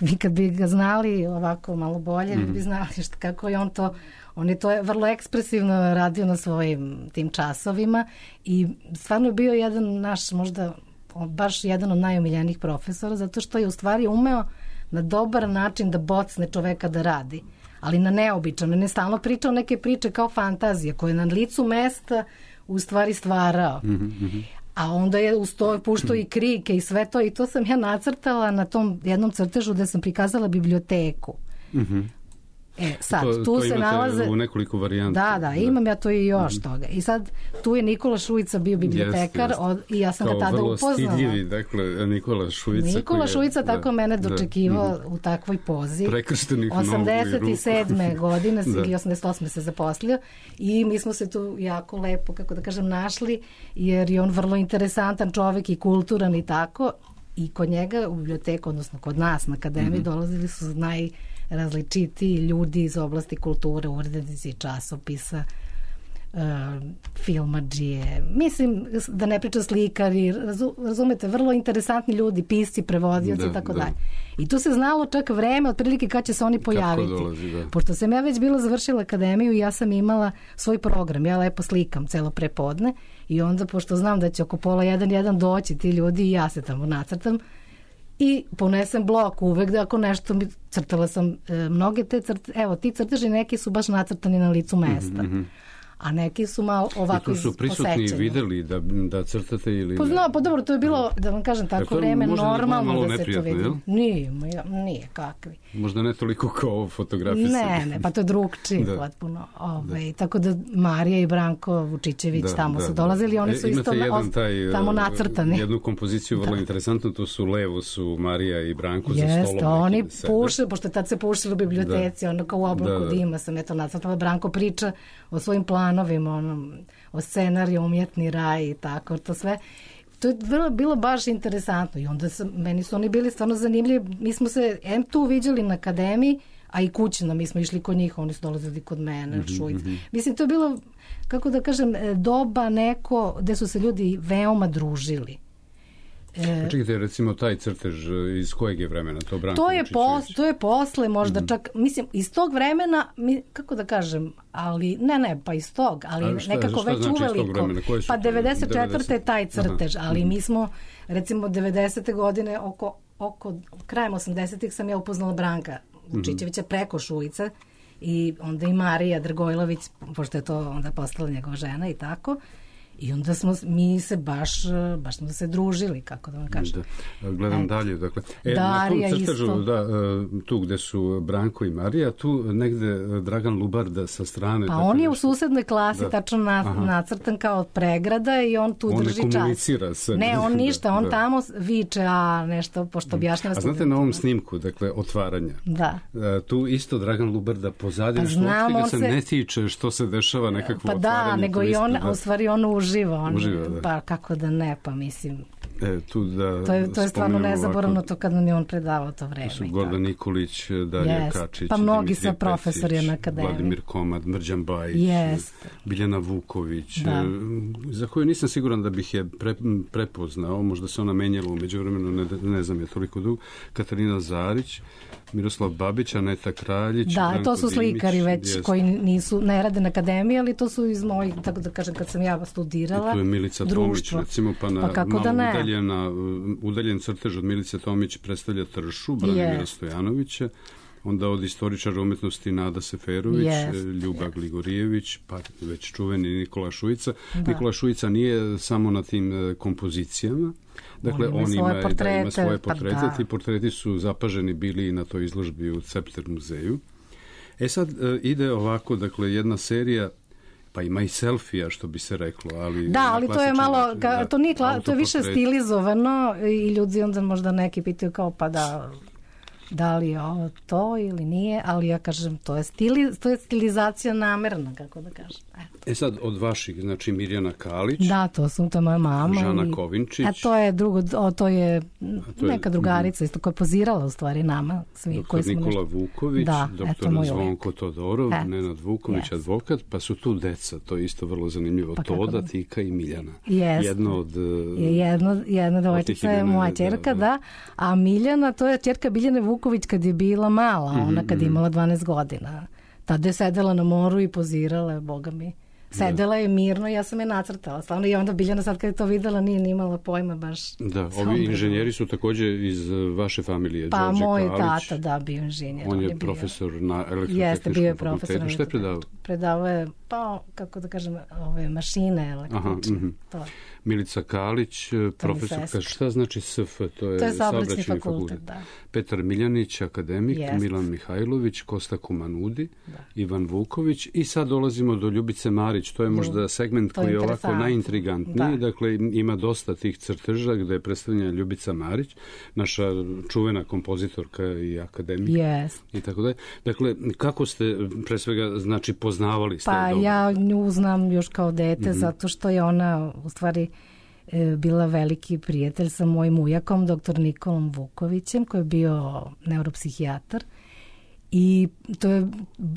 vi kad bi ga znali ovako malo bolje, mm. bi znali što, kako je on to, on je to vrlo ekspresivno radio na svojim tim časovima i stvarno je bio jedan naš, možda baš jedan od najomiljenijih profesora, zato što je u stvari umeo na dobar način da bocne čoveka da radi, ali na neobičan, ne stalno pričao neke priče kao fantazije koje na licu mesta u stvari stvarao. Mm-hmm. A onda je uz to puštao i krike i sve to i to sam ja nacrtala na tom jednom crtežu gde sam prikazala biblioteku. Mm-hmm. E, sad, to, tu to se imate nalaze u nekoliko varijanta. Da, da, imam ja to i još mm-hmm. toga. I sad, tu je Nikola Šujica bio bibliotekar jest, jest. Od, i ja sam kao ga tada upoznala. Kao vrlo stidljivi, dakle, Nikola Šujica. Nikola je, Šujica tako da, mene dočekivao da, u takvoj pozi. Prekrštenih osamdeset sedme godine da. ili osamdeset osme se zaposlio i mi smo se tu jako lepo, kako da kažem, našli, jer je on vrlo interesantan čovek i kulturan i tako. I kod njega u biblioteku, odnosno kod nas na akademiji, mm-hmm. dolazili su najrazličitiji ljudi iz oblasti kulture, urednici časopisa, uh, filmadžije. Mislim, da ne pričam slikari, razu, razumete, vrlo interesantni ljudi, pisci, prevodioci i tako dalje. I tu se znalo čak vreme, otprilike kad će se oni pojaviti. Dolazi, da. Pošto sam ja već bila završila akademiju i ja sam imala svoj program, ja lepo slikam celo prepodne i onda, pošto znam da će oko pola jedan, jedan doći ti ljudi i ja se tamo nacrtam i ponesem blok uvek da ako nešto mi crtala sam e, mnoge te crte, evo ti crteži neki su baš nacrtani na licu mesta. Mm-hmm. A neki su malo ovako posečeni. I tu su prisutni videli da, da crtate ili... Pa znam, pa dobro, to je bilo, da vam kažem, tako vreme normalno da se to vidi. Jel? Nije, nije, kakvi. Možda ne toliko kao ovo fotografije. Ne, ne, pa to je drugčije da. potpuno. Ove, da. Tako da Marija i Branko Vučićević da, tamo da, su dolazili, oni su e, isto na, taj, tamo nacrtani. Jednu kompoziciju vrlo da. interesantnu, tu su levo su Marija i Branko Jest, za stolom. Oni puše, pošto tad se pušili u biblioteci, da. ono kao u oblaku da. dima sam eto nacrtala. Branko priča o svojim planovima, onom, o scenariju, umjetni raj i tako, to sve. To je bilo, bilo baš interesantno i onda sam, meni su oni bili stvarno zanimljivi. Mi smo se em tu viđali na akademiji, a i kućno, mi smo išli kod njih, oni su dolazili kod mene, mm-hmm, Šujic. Mm-hmm. Mislim, to je bilo, kako da kažem, doba neko gde su se ljudi veoma družili. E, Čekajte, recimo taj crtež iz kojeg je vremena? To, Branko to, je, pos, to je posle možda mm-hmm. čak, mislim, iz tog vremena, mi, kako da kažem, ali, ne, ne, pa iz tog, ali šta, nekako već znači uveliko. Pa devedeset četvrte je taj crtež, aha. ali mm-hmm. mi smo, recimo, devedesete godine, oko, oko krajem osamdesetih sam ja upoznala Branka Vučićevića mm-hmm. preko Šujice i onda i Marija Drgojlović, pošto je to onda postala njegova žena i tako. I onda smo, mi se baš, baš smo se družili, kako da vam kažem. Da, gledam e, dalje, dakle. E, Darija na tom crtežu, isto. Da, tu gde su Branko i Marija, tu negde Dragan Lubarda sa strane. Pa on je nešto u susednoj klasi da. tačno na, nacrtan kao pregrada i on tu on drži čas. On ne komunicira se. Ne, on ništa, on da. tamo viče, a nešto, pošto objašnjava studentima. A znate na ovom snimku, dakle, otvaranja, da. tu isto Dragan Lubarda pozadnje, što uopšte se ne tiče što se dešava nekakvo pa otvaranje. Pa da, nego i on, da. u stvari on uživa, on, uživa da. pa kako da ne, pa mislim... E, tu da to je, to je stvarno nezaboravno ovako, to kad nam je on predavao to vreme. Su Gordan Nikolić, Darija yes. Kačić, pa mnogi sa profesori na akademiji. Vladimir Komad, Mrđan Bajić, yes. Biljana Vuković, da. za koju nisam siguran da bih je pre, prepoznao, možda se ona menjala u međuvremenu, ne, ne znam je toliko dug, Katarina Zarić, Miroslav Babić, Aneta Kraljić, da, Branko to su slikari Dimić, već jest. koji nisu, ne rade na akademiji, ali to su iz mojih, tako da kažem, kad sam ja studirala. I tu je Milica društvo. Tomić, recimo, pa na pa malo da udaljena, udaljen crtež od Milice Tomić predstavlja Tršu, Branimira yes. Stojanovića, onda od istoričara umetnosti Nada Seferović, yes. Ljuba Gligorijević, pa već čuveni Nikola Šujica. Da. Nikola Šujica nije samo na tim kompozicijama, dakle, on ima, on ima, da, ima svoje portrete, pa ti portreti su zapaženi bili na toj izložbi u Cepter muzeju. E sad ide ovako, dakle, jedna serija, pa ima i selfija, što bi se reklo, ali... Da, ali to je malo, način, ka, to, nije, to je više stilizovano i ljudi onda možda neki pitaju kao pa da... da li je ovo to ili nije, ali ja kažem to je, stili, to je stilizacija namerna, kako da kažem. Eto. E sad, od vaših, znači Mirjana Kalić. Da, to su, to je moja mama. Žana i, Kovinčić. A to je, drugo, o, to je to je, neka drugarica isto koja je pozirala u stvari nama. Svi, doktor koji smo Nikola nešto... Vuković, da, doktor eto, Zvonko Todorov, et, Nenad Vuković, yes. advokat, pa su tu deca, to je isto vrlo zanimljivo. Pa Toda, da. Tika i Miljana. Yes. Jedno od... Jedno, jedna devojčica je moja ćerka, da, da, a Miljana, to je ćerka Biljane Vuković kad je bila mala, mm-hmm, ona kad je imala dvanaest godina. Tada je sedela na moru i pozirala, boga mi. Sedela je mirno, ja sam je nacrtala. Slavno, i onda Biljana sad kad je to videla nije ni imala pojma baš. Da, ovi inženjeri su također iz vaše familije. Pa Đorđe moj Kalić, tata, da, bio inženjer. On je, on je bio profesor na Jeste, bio je elektrotehničkom fakultetu. Šta je predavao? Predavao je, pa, kako da kažem, ove mašine električne. Mm-hmm. To. Milica Kalić, profesor, šta znači S F? To je, to je saobraćajni fakultet, fakultet, da. Petar Miljanić, akademik, Jest. Milan Mihajlović, Kosta Kumanudi, da. Ivan Vuković i sad dolazimo do Ljubice Marić. To je možda segment koji je ovako najintrigantniji. Da. Dakle, ima dosta tih crteža gde je predstavljena Ljubica Marić, naša čuvena kompozitorka i akademik. Yes. I tako dalje. Dakle, kako ste pre svega znači poznavali ste? Pa dobro? Ja nju znam još kao dete, mm-hmm. zato što je ona u stvari bila veliki prijatelj sa mojim ujakom, doktor Nikolom Vukovićem, koji je bio neuropsihijatar. I to je,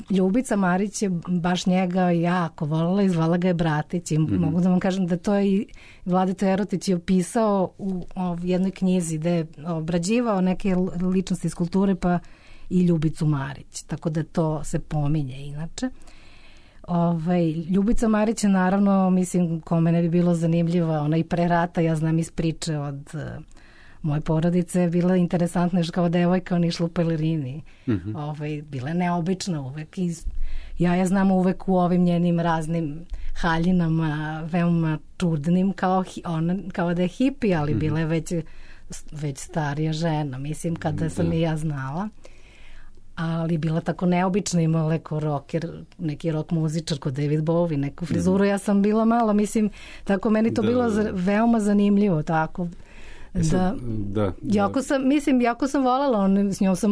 Ljubica Marić je baš njega jako volila i zvala ga je bratić. I mm-hmm. mogu da vam kažem da to je i Vladeta Erotić je opisao u, u jednoj knjizi gde je obrađivao neke ličnosti iz kulture, pa i Ljubicu Marić. Tako da to se pominje inače. Ovaj, Ljubica Marić je naravno, mislim, kome ne bi bilo zanimljiva, ona i pre rata, ja znam iz priče od uh, moje porodice, bila interesantna još kao devojka, ona išla u pelerini. Mm-hmm. Ovaj, bila je neobična uvek i ja je znam uvek u ovim njenim raznim haljinama, veoma čudnim, kao, ona, kao da je hipi, ali mm-hmm. bila je već, već starija žena, mislim, kada sam da. I ja znala. Ali bila tako neobična, imala neko rocker, neki rock muzičar kod David Bowie, neku frizuru, ja sam bila malo, mislim, tako meni to da, bilo za, veoma zanimljivo, tako. Da, da, da. Jako sam, mislim, jako sam voljela, on, s njom sam,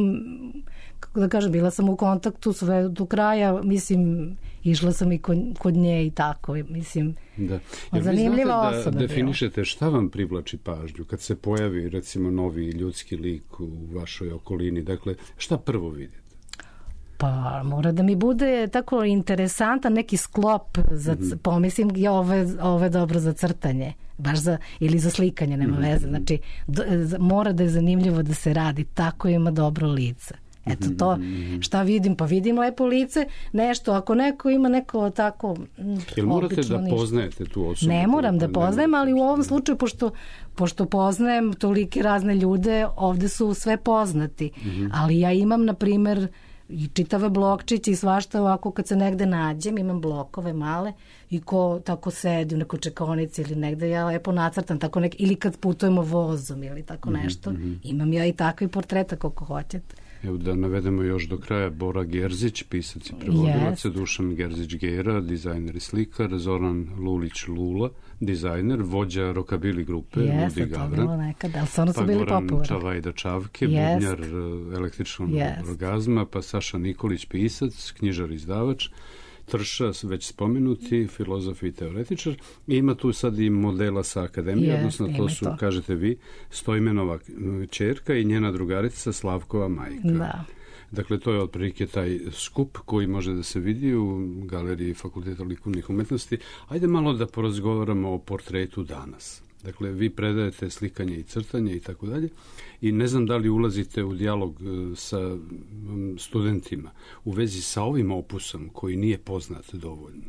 kako da kažem, bila sam u kontaktu sve do kraja, mislim, išla sam i kod, kod nje i tako, mislim, da. zanimljiva osoba. Da definišete šta vam privlači pažnju kad se pojavi, recimo, novi ljudski lik u vašoj okolini, dakle, šta prvo vidite? Pa mora da mi bude tako interesantan neki sklop za, mm-hmm. pomislim, ja ove, ove dobro za crtanje, baš za, ili za slikanje, nema mm-hmm. veze, znači do, mora da je zanimljivo da se radi, tako ima dobro lice. Eto to, šta vidim, pa vidim lepo lice, nešto, ako neko ima neko tako Jel morate da ništa. Poznajete tu osobu? Ne moram da poznajem, ali u ovom slučaju, pošto, pošto poznajem tolike razne ljude, ovde su sve poznati, mm-hmm. ali ja imam, na primer, i čitave blokčiće i svašta ovako kad se negde nađem, imam blokove male i ko tako sedi u nekoj čekaonici ili negde, ja lepo nacrtam tako nek, ili kad putujemo vozom ili tako nešto, mm-hmm. imam ja i takvi portreta koliko hoćete. Evo da navedemo još do kraja Bora Gerzić, pisac i prevodilac, yes. Dušan Gerzić-Gera, dizajner i slikar, Zoran Lulić-Lula, dizajner, vođa rokabili grupe, yes, Ludi Gavran. To bilo nekad, ali stvarno su pa bili popularni. Pa popularni. Čavajda Čavke, yes. bubnjar električnog yes. orgazma, pa Saša Nikolić, pisac, knjižar, izdavač, Trša, već spomenuti, filozof i teoretičar. I ima tu sad i modela sa akademije, yes, odnosno to su, to. kažete vi, Stojmenova ćerka i njena drugarica Slavkova majka. Da. Dakle, to je otprilike taj skup koji može da se vidi u galeriji Fakulteta likovnih umetnosti. Ajde malo da porazgovaramo o portretu danas. Dakle, vi predajete slikanje i crtanje i tako dalje i ne znam da li ulazite u dijalog sa studentima u vezi sa ovim opusom koji nije poznat dovoljno.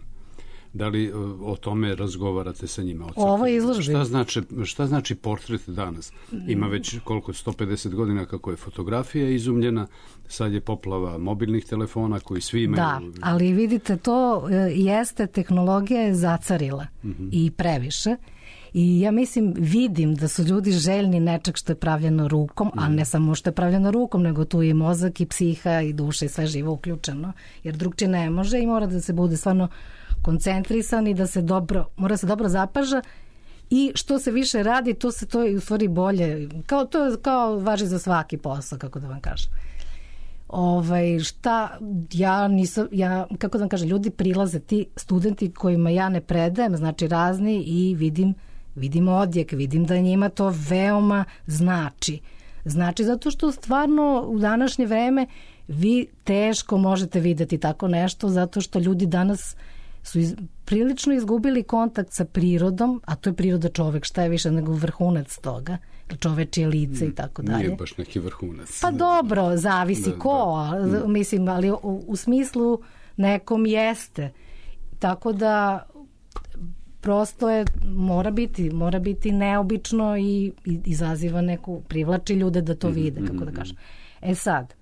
Da li o tome razgovarate sa njima? Ovo je izložbi. Šta znači, šta znači portret danas? Ima već koliko, sto pedeset godina kako je fotografija izumljena, sad je poplava mobilnih telefona koji svi imaju. Da, ali vidite, to jeste, tehnologija je zacarila mm-hmm. i previše. I ja mislim, vidim da su ljudi željni nečeg što je pravljeno rukom, mm. a ne samo što je pravljeno rukom, nego tu i mozak i psiha i duša i sve živo uključeno, jer drugčije ne može i mora da se bude stvarno koncentrisan i da se dobro, mora se dobro zapaža i što se više radi, to se to je u stvari bolje, kao, to je kao važi za svaki posao, kako da vam kažem. Ovaj, šta, ja nisam, ja, kako da vam kažem, ljudi prilaze, ti studenti kojima ja ne predajem, znači razni, i vidim, vidim odjek, vidim da njima to veoma znači. Znači, zato što stvarno u današnje vreme vi teško možete videti tako nešto, zato što ljudi danas su iz, prilično izgubili kontakt sa prirodom, a to je priroda čovek, šta je više nego vrhunac toga, čovečije lice i tako dalje. Nije baš neki vrhunac. Pa dobro, zavisi da, ko, da. mislim, ali u, u smislu nekom jeste. Tako da prosto je, mora biti, mora biti neobično i, i izaziva neku, privlači ljude da to vide, kako da kažem. E sad,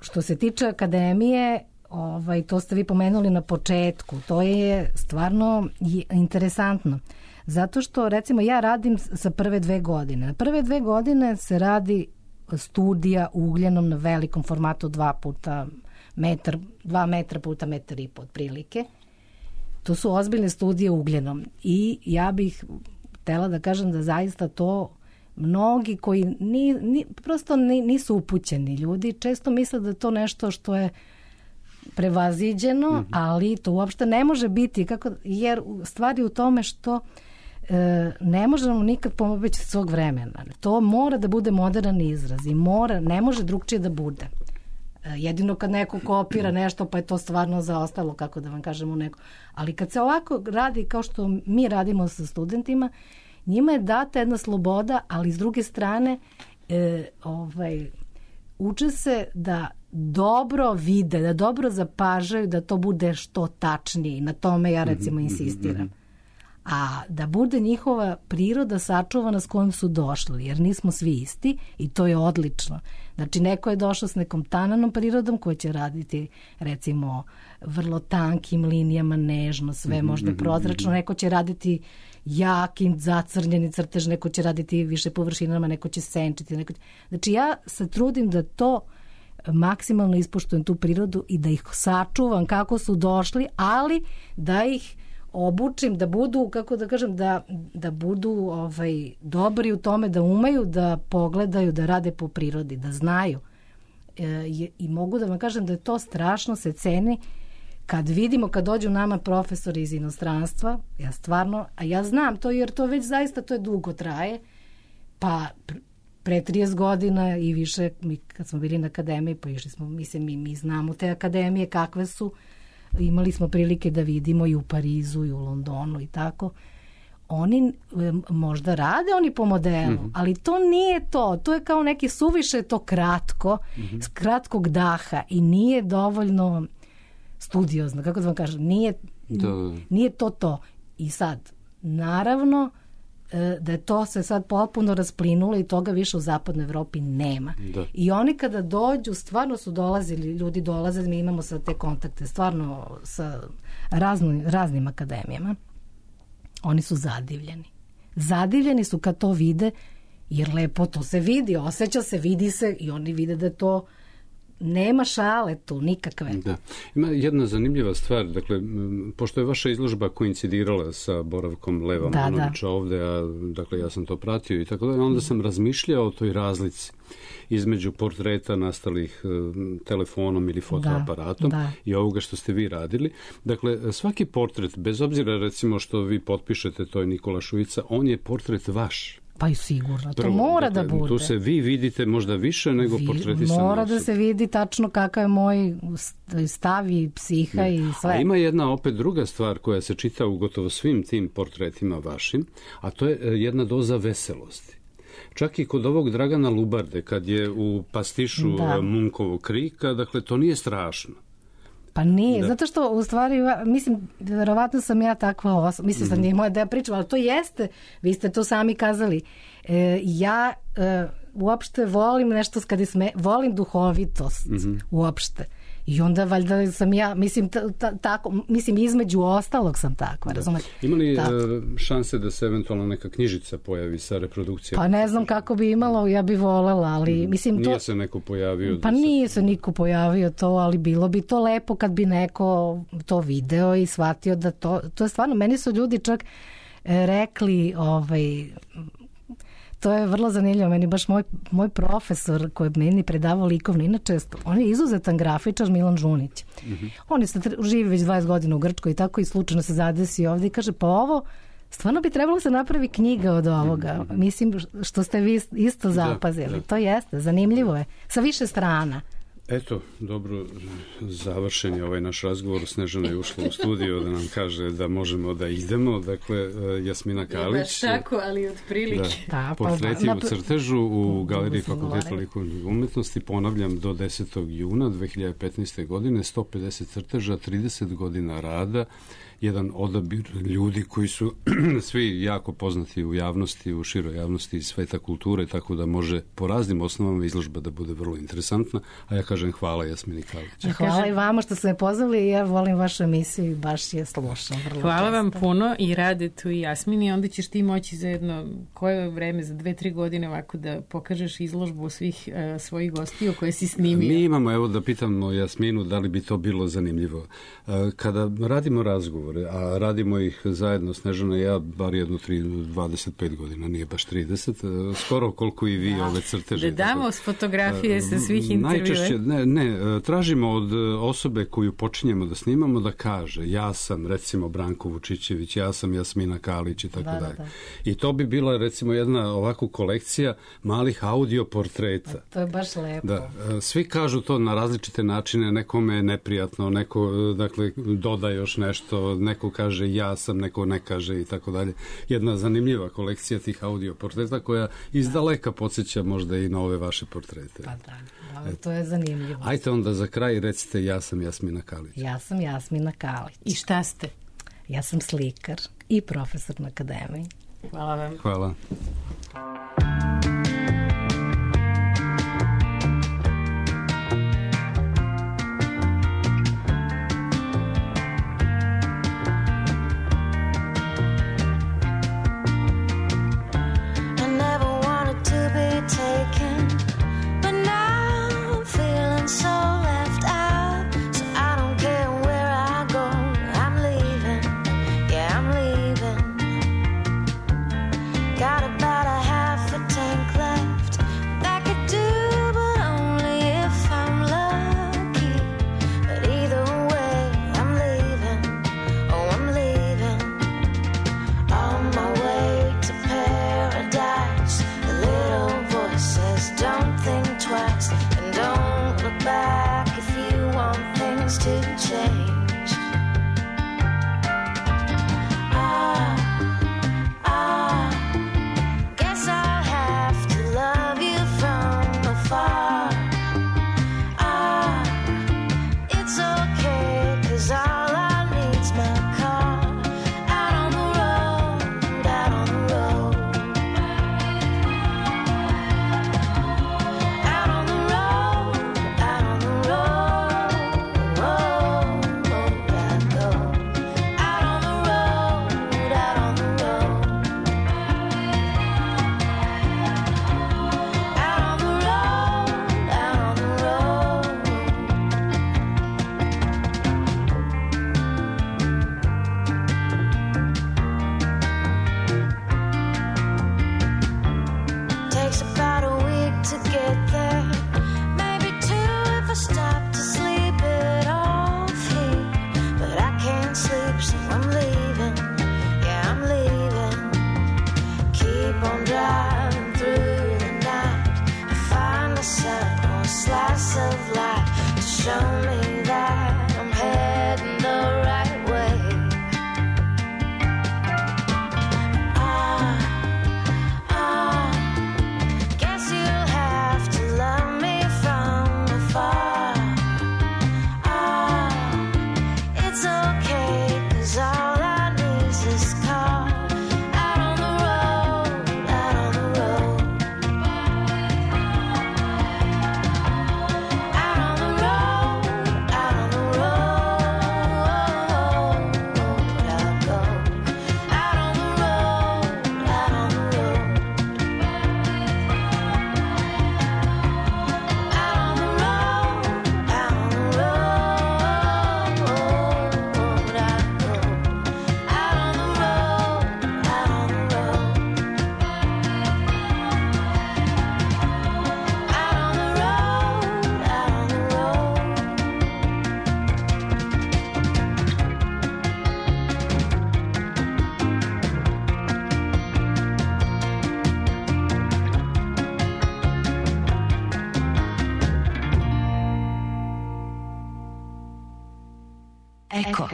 što se tiče akademije, ovaj, to ste vi pomenuli na početku, to je stvarno interesantno. Zato što, recimo, ja radim sa prve dve godine. Na prve dve godine se radi studija ugljenom na velikom formatu dva puta metar, dva metra puta metar i po otprilike. To su ozbiljne studije ugljenom. I ja bih htela da kažem da zaista to mnogi koji ni, ni, prosto nisu upućeni ljudi, često misle da je to nešto što je prevaziđeno, mm-hmm. ali to uopšte ne može biti, kako, jer stvari u tome što e, ne možemo nikad pomoći svog vremena. To mora da bude moderan izraz i mora, ne može drugčije da bude. E, jedino kad neko kopira nešto, pa je to stvarno zaostalo, kako da vam kažemo neko. Ali kad se ovako radi kao što mi radimo sa studentima, njima je data jedna sloboda, ali s druge strane e, ovaj, uče se da dobro vide, da dobro zapažaju, da to bude što tačnije. Na tome ja recimo insistiram. A da bude njihova priroda sačuvana s kojom su došli, jer nismo svi isti i to je odlično. Znači, neko je došao s nekom tananom prirodom koja će raditi recimo vrlo tankim linijama, nežno, sve možda prozračno, neko će raditi jakim, zacrnjeni crtež, neko će raditi više površinama, neko će senčiti. Neko će... Znači, ja se trudim da to maksimalno ispoštujem tu prirodu i da ih sačuvam kako su došli, ali da ih obučim da budu, kako da kažem, da, da budu ovaj, dobri u tome, da umeju da pogledaju, da rade po prirodi, da znaju. E, I mogu da vam kažem da je to strašno se ceni kad vidimo, kad dođu nama profesori iz inostranstva, ja stvarno, a ja znam to jer to već zaista to je dugo traje, pa pre trideset godina i više, mi kad smo bili na akademiji, pa išli smo, mislim, mi, mi znamo te akademije kakve su, imali smo prilike da vidimo i u Parizu i u Londonu i tako. Oni možda rade oni po modelu, mm-hmm. ali to nije to. To je kao neki suviše to kratko, mm-hmm. kratkog daha i nije dovoljno studiozno, kako da vam kažem, nije, da. nije to to. I sad, naravno, da je to se sad potpuno rasplinulo i toga više u zapadnoj Evropi nema. Da. I oni kada dođu, stvarno su dolazili, ljudi dolaze, mi imamo sad te kontakte, stvarno sa razno, raznim akademijama. Oni su zadivljeni. Zadivljeni su kad to vide, jer lepo to se vidi, osjeća se, vidi se i oni vide da to nema šale tu, nikakve. Da. Ima jedna zanimljiva stvar, dakle, pošto je vaša izložba koincidirala sa boravkom Leva da, Manovića da. ovde, a dakle ja sam to pratio i tako da, onda sam razmišljao o toj razlici između portreta nastalih telefonom ili fotoaparatom da, da. i ovoga što ste vi radili. Dakle, svaki portret, bez obzira recimo što vi potpišete, to je Nikola Šuica, on je portret vaš. Pa i sigurno, to Prvo, mora dakle, da bude. Tu se vi vidite možda više nego vi, portreti sa mora da se vidi tačno kakav je moj stav i psiha ne. i sve. A ima jedna opet druga stvar koja se čita u gotovo svim tim portretima vašim, a to je jedna doza veselosti. Čak i kod ovog Dragana Lubarde, kad je u pastišu da. Munkovog krika, dakle, to nije strašno. Pa nije, da. Zato što u stvari, mislim, verovatno sam ja takva osoba, mislim sam mm-hmm. nije moja da ja pričam, ali to jeste, vi ste to sami kazali. E, ja e, uopšte volim nešto, kad je sme, volim duhovitost mm-hmm. uopšte. I onda valjda sam ja, mislim, ta, ta, tako, mislim između ostalog sam takva, razumete? Ima li tako. šanse da se eventualno neka knjižica pojavi sa reprodukcijom? Pa ne znam kako bi imalo, ja bi volela, ali mislim nije to... se neko pojavio? Pa da nije se... se niko pojavio to, ali bilo bi to lepo kad bi neko to video i shvatio da to, to je stvarno, meni su ljudi čak rekli, ovaj... to je vrlo zanimljivo. Meni baš moj, moj profesor koji je meni predavao likovno, inače on je izuzetan grafičar, Milan Žunić. Mm-hmm. On je živi već dvadeset godina u Grčkoj i tako i slučajno se zadesi ovdje i kaže, pa ovo stvarno bi trebalo se napravi knjiga od ovoga. Mislim što ste vi isto zapazili. Da, da. To jeste, zanimljivo je. Sa više strana. Eto, dobro, završen je ovaj naš razgovor. Snežana je ušla u studio da nam kaže da možemo da idemo. Dakle, Jasmina Kalić. Baš tako, ali otprilike. Da, da, portreti u crtežu u Galeriji Fakulteta likovnih umetnosti. Ponavljam, do desetog juna dve hiljade petnaeste. godine, sto pedeset crteža, trideset godina rada, jedan odabir ljudi koji su svi jako poznati u javnosti, u široj javnosti iz sveta kulture, tako da može po raznim osnovama izložba da bude vrlo interesantna. A ja kažem hvala Jasmini Kalić. Hvala i vama što ste me pozvali i ja volim vašu emisiju i baš je slušam. Hvala vam puno i Radetu i Jasmini. Onda ćeš ti moći za jedno koje vreme, za dve, tri godine ovako da pokažeš izložbu svih uh, svojih gostiju koje si snimio. Mi imamo, evo da pitamo Jasminu da li bi to bilo zanimljivo. Uh, kada radimo razgovor, a radimo ih zajedno, Snežana i ja, bar jedno dvadeset pet godina, nije baš trideset, skoro koliko i vi ove crteže. Da damo s fotografije sa svih intervjua. Najčešće, ne, ne, tražimo od osobe koju počinjemo da snimamo da kaže, ja sam recimo Branko Vučićević, ja sam Jasmina Kalić i tako da, dalje. Da, da. I to bi bila recimo jedna ovako kolekcija malih audio portreta. To je baš lepo. Da, svi kažu to na različite načine, nekome je neprijatno, neko dakle doda još nešto, neko kaže ja sam, neko ne kaže i tako dalje. Jedna zanimljiva kolekcija tih audio portreta koja iz daleka podsjeća možda i na ove vaše portrete. Pa da, da to je zanimljivo. Ajte onda za kraj recite ja sam Jasmina Kalić. Ja sam Jasmina Kalić. I šta ste? Ja sam slikar i profesor na akademiji. Hvala vam. Hvala. Eko.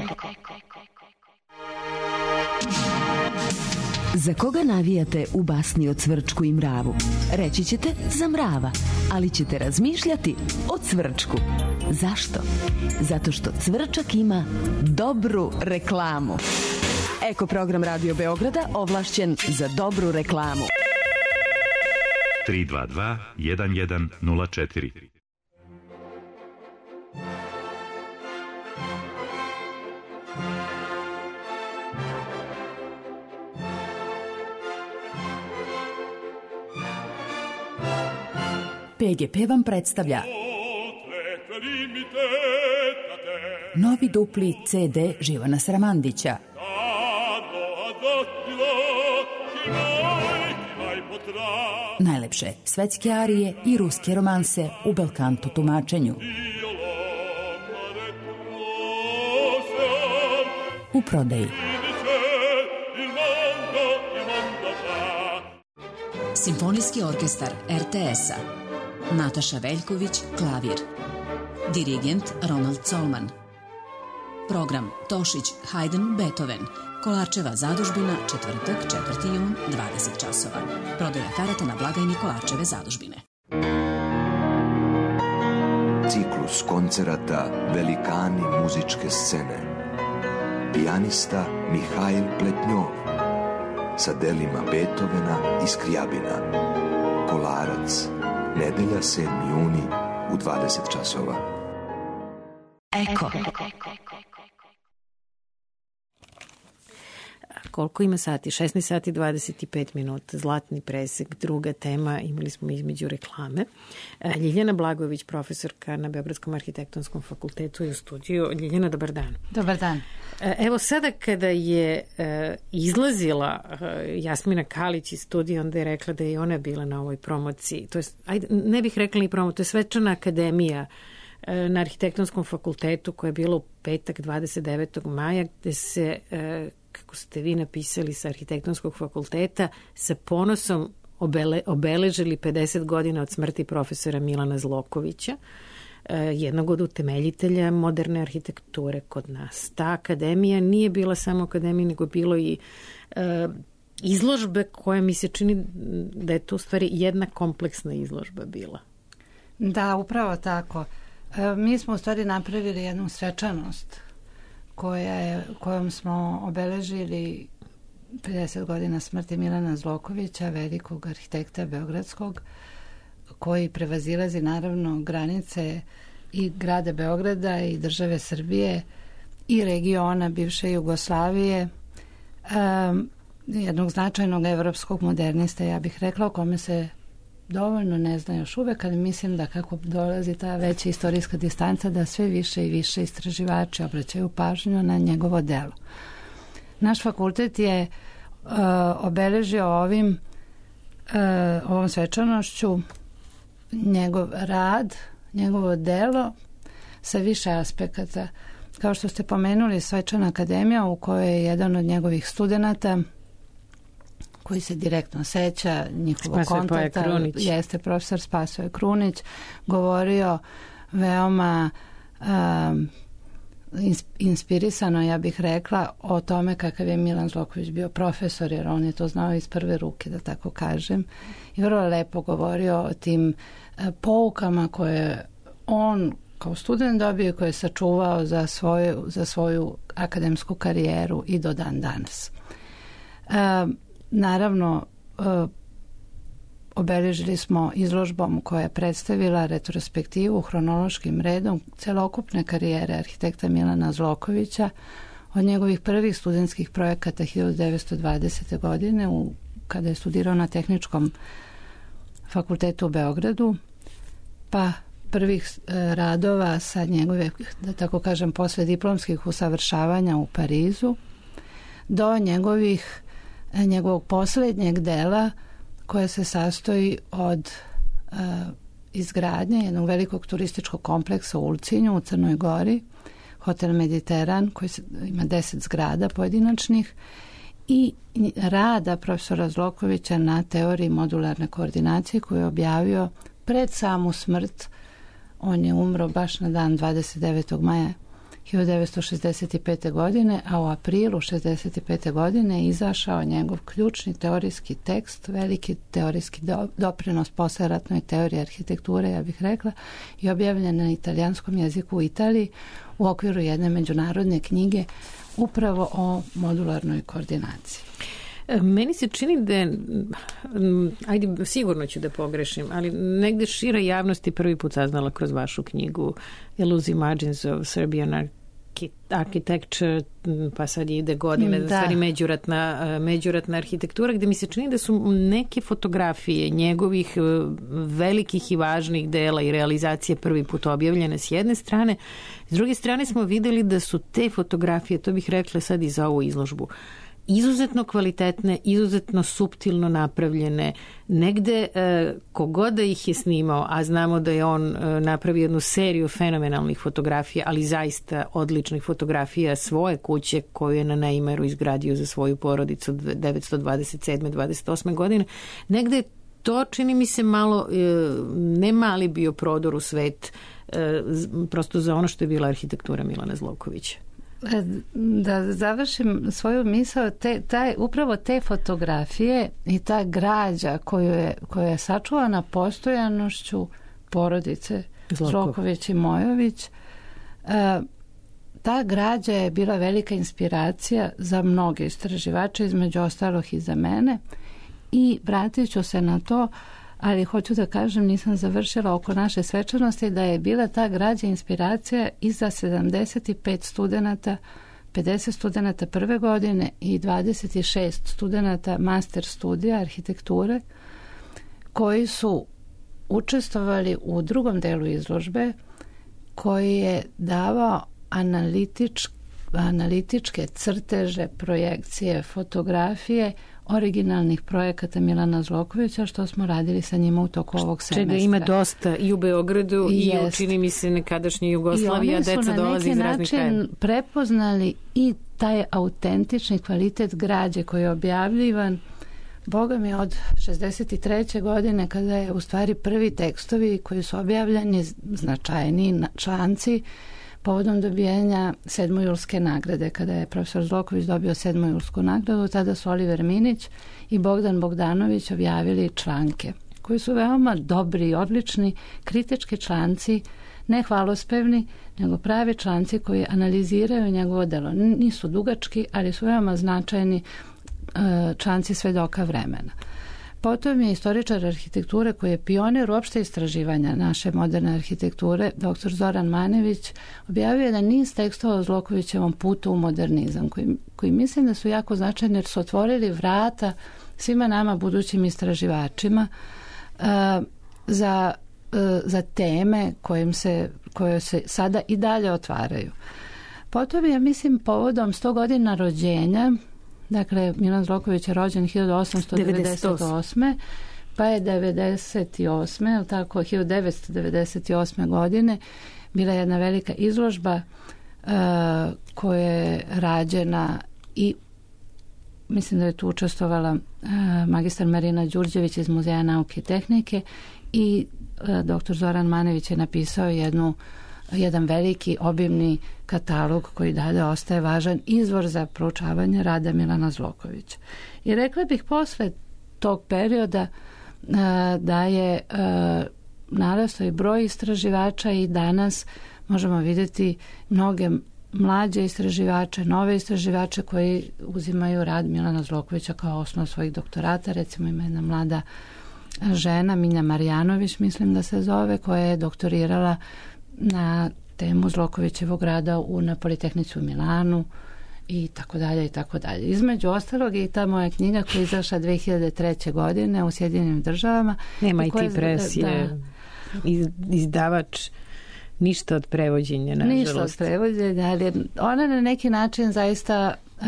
Za koga navijate u basni o Cvrčku i Mravu? Reći ćete za Mrava, ali ćete razmišljati o Cvrčku. Zašto? Zato što Cvrčak ima dobru reklamu. Eko program Radio Beograda ovlašćen za dobru reklamu. tri dva dva jedan jedan nula četiri. P G P vam predstavlja novi dupli C D Živana Sramandića. Najlepše svetske arije i ruske romanse u belkanto tumačenju. U prodaji. Simfonijski orkestar R T S-a. Nataša Veljković, klavir. Dirigent Ronald Colman. Program Tošić, Haydn, Beethoven. Kolarčeva zadužbina, četvrtak, četvrti jun, dvadeset časova. Prodaja karata na blagajni Kolarčeve zadužbine. Ciklus koncerata Velikani muzičke scene. Pijanista Mihail Pletnjov sa delima Beethovena i Skrijabina. Kolarac, nedelja sedmi juni u dvadeset časova. Eko. Koliko ima sati? šesnaest sati dvadeset pet minuta, zlatni presek, druga tema, imali smo između reklame. Ljiljana Blagojević, profesorka na Beogradskom arhitektonskom fakultetu i u studiju. Ljiljana, dobar dan. Dobar dan. Evo sada kada je izlazila Jasmina Kalić iz studija, onda je rekla da je ona bila na ovoj promociji. To je, ajde, ne bih rekla ni promo, to je svečana akademija na arhitektonskom fakultetu koja je bila u petak dvadeset devetog maja, gde se, kako ste vi napisali sa arhitektonskog fakulteta, sa ponosom obele, obeležili pedeset godina od smrti profesora Milana Zlokovića, jednog od utemeljitelja moderne arhitekture kod nas. Ta akademija nije bila samo akademija, nego bilo i e, izložbe koja mi se čini da je to u stvari jedna kompleksna izložba bila. Da, upravo tako. E, mi smo u stvari napravili jednu svečanost koja je, kojom smo obeležili pedeset godina smrti Milana Zlokovića, velikog arhitekta beogradskog, koji prevazilazi naravno granice i grada Beograda i države Srbije i regiona bivše Jugoslavije, um, jednog značajnog evropskog modernista, ja bih rekla, o kome se dovoljno ne zna još uvek, ali mislim da kako dolazi ta veća istorijska distanca, da sve više i više istraživači obraćaju pažnju na njegovo delo. Naš fakultet je uh, obeležio ovim uh, ovom svečanošću njegov rad, njegovo delo sa više aspekata. Kao što ste pomenuli, svečana akademija u kojoj je jedan od njegovih studenata koji se direktno seća njihovog kontakta, jeste profesor Spasoje Krunić, govorio veoma um, inspirisano, ja bih rekla, o tome kakav je Milan Zloković bio profesor, jer on je to znao iz prve ruke, da tako kažem, i vrlo lepo govorio o tim poukama koje on kao student dobio, koje je sačuvao za svoju, za svoju akademsku karijeru i do dan danas. E, naravno, e, obeležili smo izložbom koja je predstavila retrospektivu hronološkim redom celokupne karijere arhitekta Milana Zlokovića od njegovih prvih studentskih projekata hiljadu devetsto dvadesete. godine u, kada je studirao na Tehničkom fakultetu u Beogradu, pa prvih e, radova sa njegove, da tako kažem, posle diplomskih usavršavanja u Parizu, do njegovih, njegovog poslednjeg dela koja se sastoji od e, izgradnje jednog velikog turističkog kompleksa u Ulcinju u Crnoj Gori, Hotel Mediteran, koji se, ima deset zgrada pojedinačnih, i rada profesora Zlokovića na teoriji modularne koordinacije koju je objavio pred samu smrt. On je umro baš na dan dvadeset devetog maja hiljadu devetsto šezdeset pete. godine, a u aprilu šezdeset pete. godine je izašao njegov ključni teorijski tekst, veliki teorijski do, doprinos posleratnoj teoriji arhitekture, ja bih rekla, i objavljen na italijanskom jeziku u Italiji u okviru jedne međunarodne knjige upravo o modularnoj koordinaciji. Meni se čini da je, ajde, sigurno ću da pogrešim, ali negde šira javnost je prvi put saznala kroz vašu knjigu Elusive Margins of Serbian Architecture, pa sad ide godine, da. stvari međuratna, međuratna arhitektura, gde mi se čini da su neke fotografije njegovih velikih i važnih dela i realizacije prvi put objavljene s jedne strane. S druge strane smo videli da su te fotografije, to bih rekla sad i za ovu izložbu, izuzetno kvalitetne, izuzetno suptilno napravljene. Negde e, kogod da ih je snimao, a znamo da je on e, napravio jednu seriju fenomenalnih fotografija, ali zaista odličnih fotografija svoje kuće koju je na Neimeru izgradio za svoju porodicu devetsto dvadeset sedme dvadeset osme. godine. Negde to čini mi se malo, e, ne mali bio prodor u svet, e, prosto za ono što je bila arhitektura Milana Zlokovića. Da završim svoju misao, te, taj, upravo te fotografije i ta građa koju je, koja je sačuvana postojanošću porodice Zloković i Mojović, ta građa je bila velika inspiracija za mnoge istraživače, između ostalog i za mene, i vratit ću se na to, ali hoću da kažem, nisam završila oko naše svečanosti, da je bila ta građa inspiracija i za sedamdeset pet studenata, pedeset studenata prve godine i dvadeset šest studenata master studija arhitekture, koji su učestvovali u drugom delu izložbe, koji je davao analitič, analitičke crteže, projekcije, fotografije originalnih projekata Milana Zlokovića, što smo radili sa njima u toku ovog semestra. Čega ima dosta i u Beogradu i, i u, čini mi se, nekadašnji Jugoslaviji, a deca dolazi iz raznih krajeva. I oni su na neki način prepoznali i taj autentični kvalitet građe koji je objavljivan, Boga mi, od šezdeset treće. godine, kada je u stvari prvi tekstovi koji su objavljeni, značajni članci, povodom dobijanja sedmojulske nagrade. Kada je profesor Zloković dobio sedmojulsku nagradu, tada su Oliver Minić i Bogdan Bogdanović objavili članke koji su veoma dobri i odlični kritički članci, ne hvalospevni, nego pravi članci koji analiziraju njegovo delo. Nisu dugački, ali su veoma značajni članci svedoka vremena. Potom je istoričar arhitekture koji je pionir uopšte istraživanja naše moderne arhitekture, doktor Zoran Manević, objavio jedan niz tekstova o Zlokovićevom putu u modernizam, koji, koji mislim da su jako značajni jer su otvorili vrata svima nama budućim istraživačima uh, za, uh, za teme kojim se, koje se sada i dalje otvaraju. Potom je, mislim, povodom sto godina rođenja, dakle, Milan Zloković je rođen hiljadu osamsto devedeset osme. pa je devedeset osme. je li tako, hiljadu devetsto devedeset osme. godine bila jedna velika izložba uh, koja je rađena i mislim da je tu učestvovala uh, magistar Marina Đurđević iz Muzeja nauke i tehnike i uh, doktor Zoran Manević je napisao jednu jedan veliki obimni katalog koji dalje ostaje važan izvor za proučavanje rada Milana Zlokovića. I rekla bih posle tog perioda da je narastao i broj istraživača i danas možemo vidjeti mnoge mlađe istraživače, nove istraživače koji uzimaju rad Milana Zlokovića kao osnov svojih doktorata. Recimo ima jedna mlada žena, Minja Marjanović, mislim da se zove, koja je doktorirala na temu Zlokovićevog rada u, na Politehnici u Milanu i tako dalje i tako dalje. Između ostalog je i ta moja knjiga koja je izašla dve hiljade treće. godine u Sjedinjenim Državama. Nema i ti presije. Iz, izdavač ništa od prevođenja, nažalost. Ništa od prevođenja, ali ona na neki način zaista uh,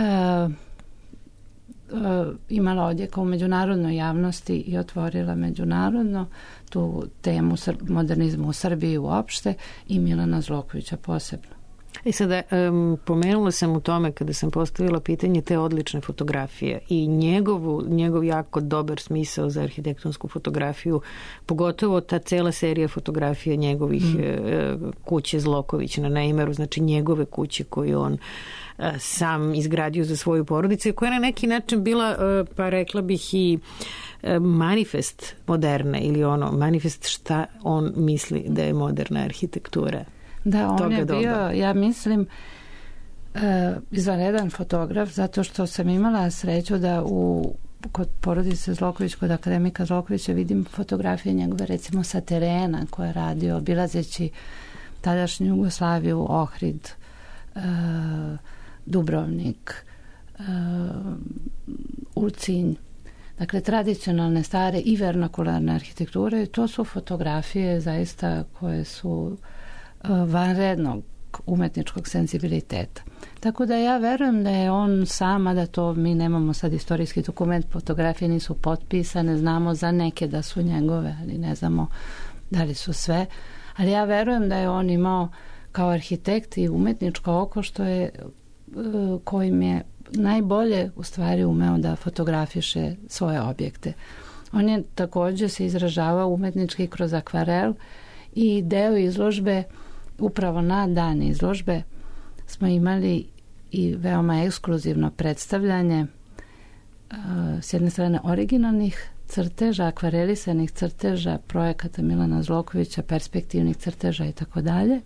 uh, imala odjeka u međunarodnoj javnosti i otvorila međunarodno tu temu modernizmu u Srbiji uopšte i Milana Zlokovića posebno. I sada um, pomenula sam u tome kada sam postavila pitanje te odlične fotografije i njegovu, njegov jako dobar smisao za arhitektonsku fotografiju, pogotovo ta cela serija fotografija njegovih mm. e, kuće Zloković na Neimeru, znači njegove kuće koje on e, sam izgradio za svoju porodicu, koja je na neki način bila, e, pa rekla bih i e, manifest moderne ili ono, manifest šta on misli da je moderna arhitektura. Da, on toga je bio, doba. ja mislim, uh, izvanredan fotograf, zato što sam imala sreću da u kod porodice Zloković, kod akademika Zlokovića vidim fotografije njegove, recimo sa terena koje je radio, obilazeći tadašnju Jugoslaviju, Ohrid, uh, Dubrovnik, uh, Ulcinj. Dakle, tradicionalne, stare i vernakularne arhitekture, to su fotografije zaista koje su vanrednog umetničkog senzibiliteta. Tako da ja verujem da je on sama, da to mi nemamo sad istorijski dokument, fotografije nisu potpisane, znamo za neke da su njegove, ali ne znamo da li su sve, ali ja verujem da je on imao kao arhitekt i umetničko oko što je, kojim je najbolje u stvari umeo da fotografiše svoje objekte. On je takođe se izražavao umetnički kroz akvarel i deo izložbe, upravo na dan izložbe smo imali i veoma ekskluzivno predstavljanje uh, s jedne strane originalnih crteža, akvarelisanih crteža projekata Milana Zlokovića, perspektivnih crteža i tako dalje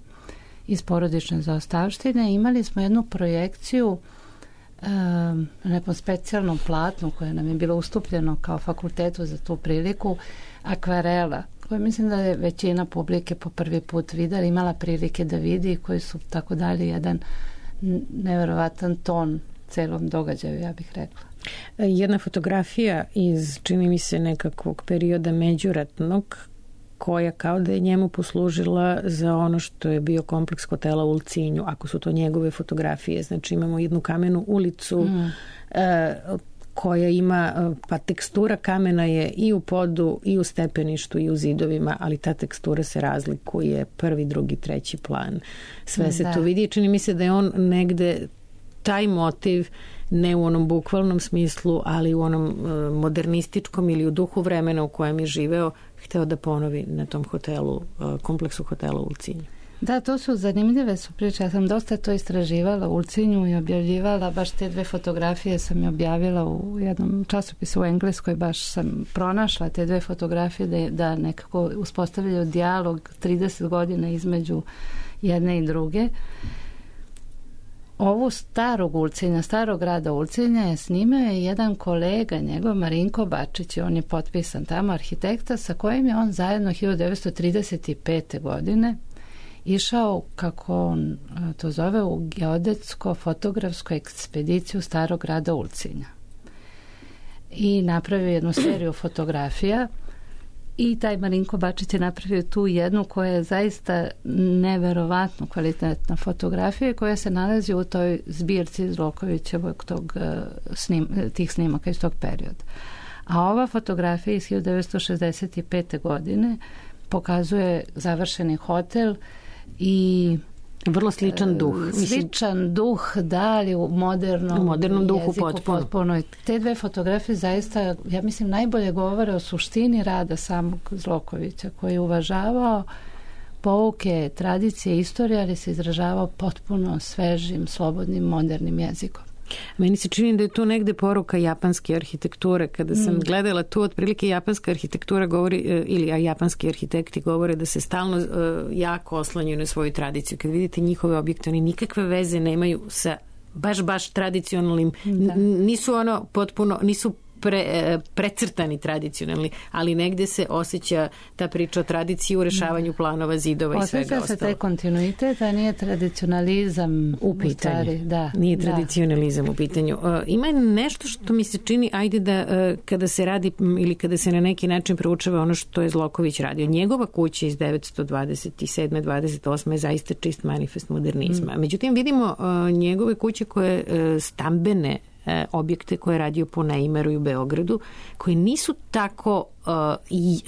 iz porodične zaostavštine. Imali smo jednu projekciju uh, na nekom specijalnom platnu koje nam je bilo ustupljeno kao fakultetu za tu priliku, akvarela, koje mislim da je većina publike po prvi put videla, imala prilike da vidi, koji su tako dali jedan neverovatan ton celom događaju, ja bih rekla. Jedna fotografija iz, čini mi se, nekakvog perioda međuratnog, koja kao da je njemu poslužila za ono što je bio kompleks hotela u Ulcinju, ako su to njegove fotografije. Znači imamo jednu kamenu ulicu, mm. e, koja ima, pa tekstura kamena je i u podu, i u stepeništu, i u zidovima, ali ta tekstura se razlikuje prvi, drugi, treći plan. Sve se da. Tu vidi. Čini mi se da je on negde taj motiv, ne u onom bukvalnom smislu, ali u onom modernističkom ili u duhu vremena u kojem je živeo, hteo da ponovi na tom hotelu, kompleksu hotela u Ulcinju. Da, to su zanimljive su priče. Ja sam dosta to istraživala u Ulcinju i objavljivala. Baš te dve fotografije sam je objavila u jednom časopisu u Engleskoj. Baš sam pronašla te dve fotografije da, da nekako uspostavljaju dijalog trideset godina između jedne i druge. Ovu starog Ulcinja, starog grada Ulcinja je snimao jedan kolega njegov, Marinko Bačić, on je potpisan tamo, arhitekta, sa kojim je on zajedno hiljadu devetsto trideset pete. godine išao, kako on to zove, u geodetsko-fotografsku ekspediciju starog grada Ulcinja. I napravio jednu seriju fotografija i taj Marinko Bačić je napravio tu jednu koja je zaista neverovatno kvalitetna fotografija koja se nalazi u toj zbirci Zlokovićevog tog, snim, tih snimaka iz tog perioda. A ova fotografija iz hiljadu devetsto šezdeset pete. godine pokazuje završeni hotel i vrlo sličan duh. Sličan duh, da, ali u modernom, u modernom duhu jeziku potpuno. potpuno. Te dve fotografije zaista, ja mislim, najbolje govore o suštini rada samog Zlokovića, koji je uvažavao pouke, tradicije, istorije, ali se izražavao potpuno svežim, slobodnim, modernim jezikom. Meni se čini da je tu negde poruka japanske arhitekture. Kada sam mm. gledala tu, otprilike japanska arhitektura govori, ili a japanski arhitekti govore da se stalno uh, jako oslanjaju na svoju tradiciju. Kad vidite njihove objekte, oni nikakve veze nemaju sa baš, baš tradicionalnim, da. Nisu ono potpuno, nisu Pre, precrtani tradicionalni, ali negde se osjeća ta priča o tradiciji u rešavanju planova, zidova i svega ostalo. Osjeća se taj kontinuitet, a nije tradicionalizam u pitanju. U stvari, da, nije da. tradicionalizam u pitanju. Uh, ima nešto što mi se čini, ajde da uh, kada se radi ili kada se na neki način proučava ono što je Zloković radio. Njegova kuća iz devetsto dvadeset sedme dvadeset osme je zaista čist manifest modernizma. Mm. Međutim, vidimo uh, njegove kuće koje uh, stambene e, objekte koje je radio po Neimeru i u Beogradu, koji nisu tako e, i,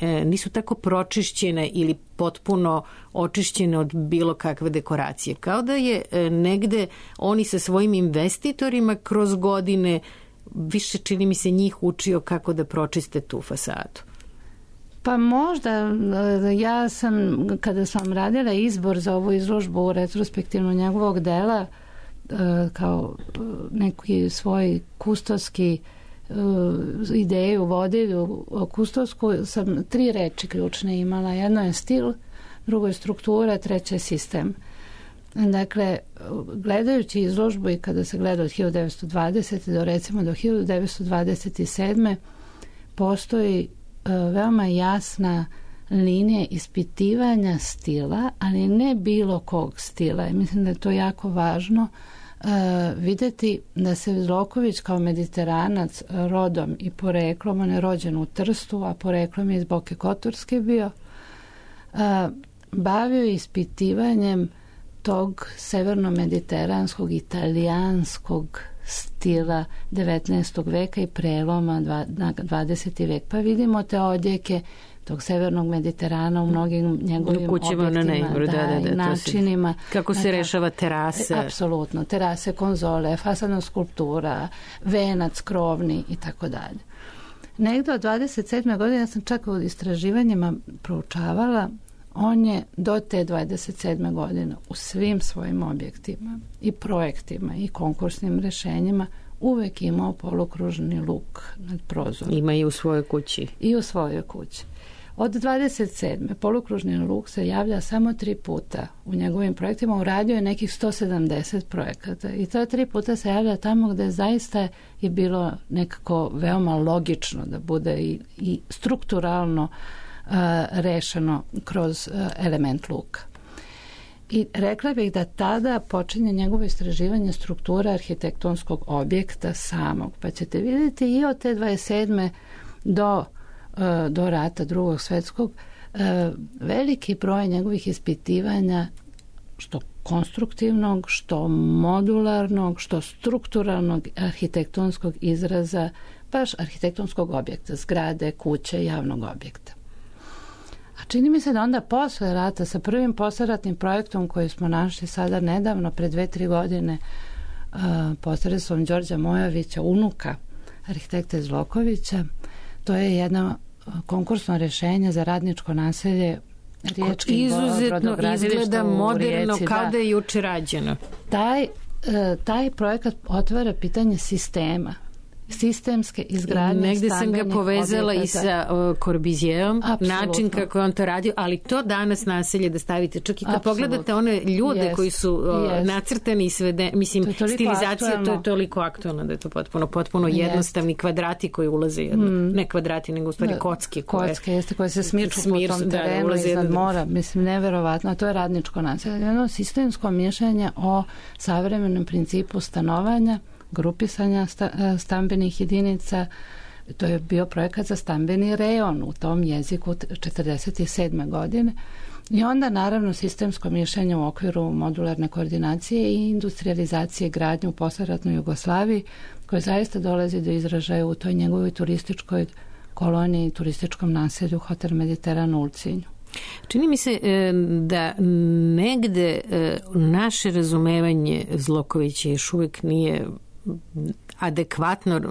e, nisu tako pročišćene ili potpuno očišćene od bilo kakve dekoracije. Kao da je e, negde oni sa svojim investitorima kroz godine više, čini mi se, njih učio kako da pročiste tu fasadu. Pa možda, ja sam, kada sam radila izbor za ovu izložbu u retrospektivnu njegovog dela, kao neki svoj kustoski ideju vodilju kustosku, sam tri reči ključne imala. Jedno je stil, drugo je struktura, treće je sistem. Dakle, gledajući izložbu i kada se gleda od hiljadu devetsto dvadesete do recimo do hiljadu devetsto dvadeset sedme postoji veoma jasna linija ispitivanja stila, ali ne bilo kog stila. I mislim da je to jako važno uh, videti da se Zloković kao mediteranac rodom i poreklom, on je rođen u Trstu, a poreklom je iz Boke Kotorske bio, uh, bavio ispitivanjem tog severno-mediteranskog, italijanskog stila devetnaestog veka i preloma na dvadeseti vek. Pa vidimo te odjeke tog severnog Mediterana u mnogim njegovim objektima, na Neimeru, da, da, da, načinima. Se, kako se rešava terase. Apsolutno, terase, konzole, fasadna skulptura, venac, krovni i tako dalje. Negde od dvadeset sedme godine, ja sam čak u istraživanjima proučavala, on je do te dvadeset sedme godine u svim svojim objektima i projektima i konkursnim rešenjima uvek imao polukružni luk nad prozorom. Ima i u svojoj kući. I u svojoj kući. Od dvadeset sedme polukružni luk se javlja samo tri puta u njegovim projektima. Uradio je nekih sto sedamdeset projekata i ta tri puta se javlja tamo gde zaista je bilo nekako veoma logično da bude i, i strukturalno uh, rešeno kroz uh, element luka. I rekla bih da tada počinje njegovo istraživanje struktura arhitektonskog objekta samog. Pa ćete vidjeti i od te dvadeset sedme do, do rata drugog svetskog veliki broj njegovih ispitivanja, što konstruktivnog, što modularnog, što strukturalnog arhitektonskog izraza, baš arhitektonskog objekta, zgrade, kuće, javnog objekta. A čini mi se da onda posle rata sa prvim posleratnim projektom koji smo našli sada nedavno, pre dve, tri godine, uh, posredstvom Đorđa Mojovića, unuka arhitekta Zlokovića, to je jedno konkursno rešenje za radničko naselje riječkim izuzetno izgleda moderno, Rijeci, kao da je juče rađeno. Taj, uh, taj projekat otvara pitanje sistema, sistemske izgradnje. Negde sam ga povezala objekata. I sa uh, Corbusijeom, način kako je on to radio, ali to danas naselje da stavite, čak i kad Absolutno. Pogledate one ljude yes. koji su uh, yes. nacrtani i svede, mislim, to stilizacija, aktualno. To je toliko aktualno da je to potpuno, potpuno yes. jednostavni kvadrati koji ulaze jedno, mm. ne kvadrati, nego u stvari da, kocke. Koje, kocke, jeste, koje se smirču smir, po tom terenu da, iznad mora, mislim, neverovatno, to je radničko naselje. Jedno sistemsko mišljenje o savremenom principu stanovanja, grupisanja stambenih jedinica. To je bio projekat za stambeni rejon u tom jeziku četrdeset sedme godine. I onda naravno sistemsko mišljenje u okviru modularne koordinacije i industrializacije gradnje u posleratnoj Jugoslaviji, koje zaista dolazi do izražaja u toj njegovoj turističkoj koloniji i turističkom naselju Hotel Mediteran u Ulcinju. Čini mi se da negde naše razumevanje Zlokovića još uvijek nije adekvatno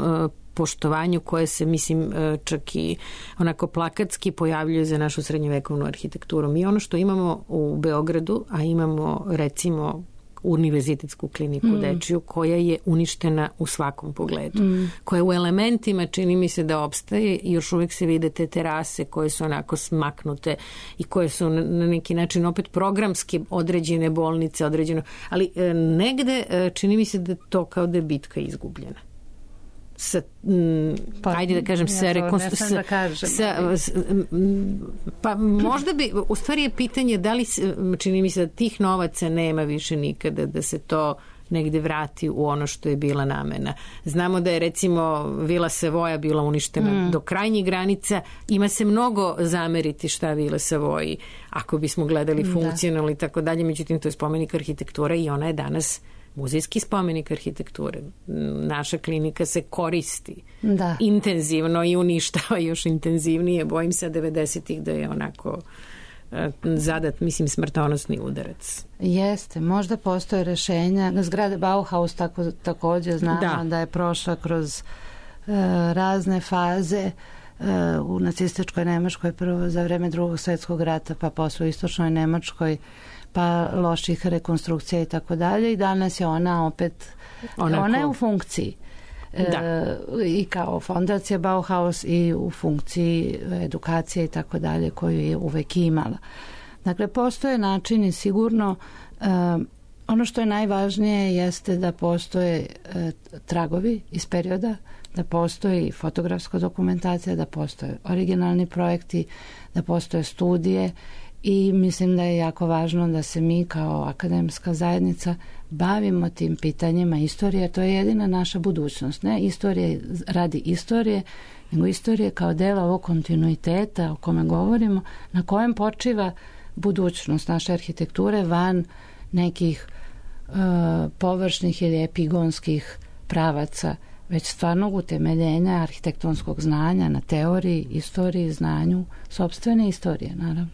poštovanju koje se, mislim, čak i onako plakatski pojavljuje za našu srednjovekovnu arhitekturu. Mi ono što imamo u Beogradu, a imamo recimo univerzitetsku kliniku mm. dečiju koja je uništena u svakom pogledu. Mm. Koja u elementima čini mi se da opstaje i još uvijek se vide te terase koje su onako smaknute i koje su na neki način opet programski određene bolnice, određeno, ali e, negde e, čini mi se da to kao da je bitka izgubljena. Sa, m, pa, ajde da kažem, ja sa rekonstrukcijom. Da kažem, pa možda bi, u stvari je pitanje da li, čini mi se da tih novaca nema više nikada, da se to negde vrati u ono što je bila namena. Znamo da je recimo Vila Savoja bila uništena mm. do krajnjih granica. Ima se mnogo zameriti šta Vila Savoji, ako bismo gledali funkcionalno i tako dalje, međutim to je spomenik arhitektura i ona je danas muzejski spomenik arhitekture. Naša klinika se koristi da. intenzivno i uništava još intenzivnije. Bojim se devedesetih da je onako zadat, mislim, smrtonosni udarac. Jeste, možda postoje rešenja. Na zgrade Bauhaus tako, također znamo da. da je prošla kroz uh, razne faze uh, u nacističkoj Nemačkoj prvo za vreme drugog svjetskog rata, pa posle u istočnoj Nemačkoj, pa loših rekonstrukcija i tako dalje, i danas je ona opet Onako. ona je u funkciji. Da. E, i kao fondacija Bauhaus i u funkciji edukacije i tako dalje koju je uvek imala. Dakle, postoje načini sigurno. E, ono što je najvažnije jeste da postoje e, tragovi iz perioda, da postoji fotografska dokumentacija, da postoje originalni projekti, da postoje studije, i mislim da je jako važno da se mi kao akademska zajednica bavimo tim pitanjima istorije. To je jedina naša budućnost. Ne istorije radi istorije, nego istorije kao dela ovog kontinuiteta o kome govorimo, na kojem počiva budućnost naše arhitekture van nekih uh, površnih ili epigonskih pravaca, već stvarnog utemeljenja arhitektonskog znanja na teoriji, istoriji, znanju, sopstvene istorije, naravno.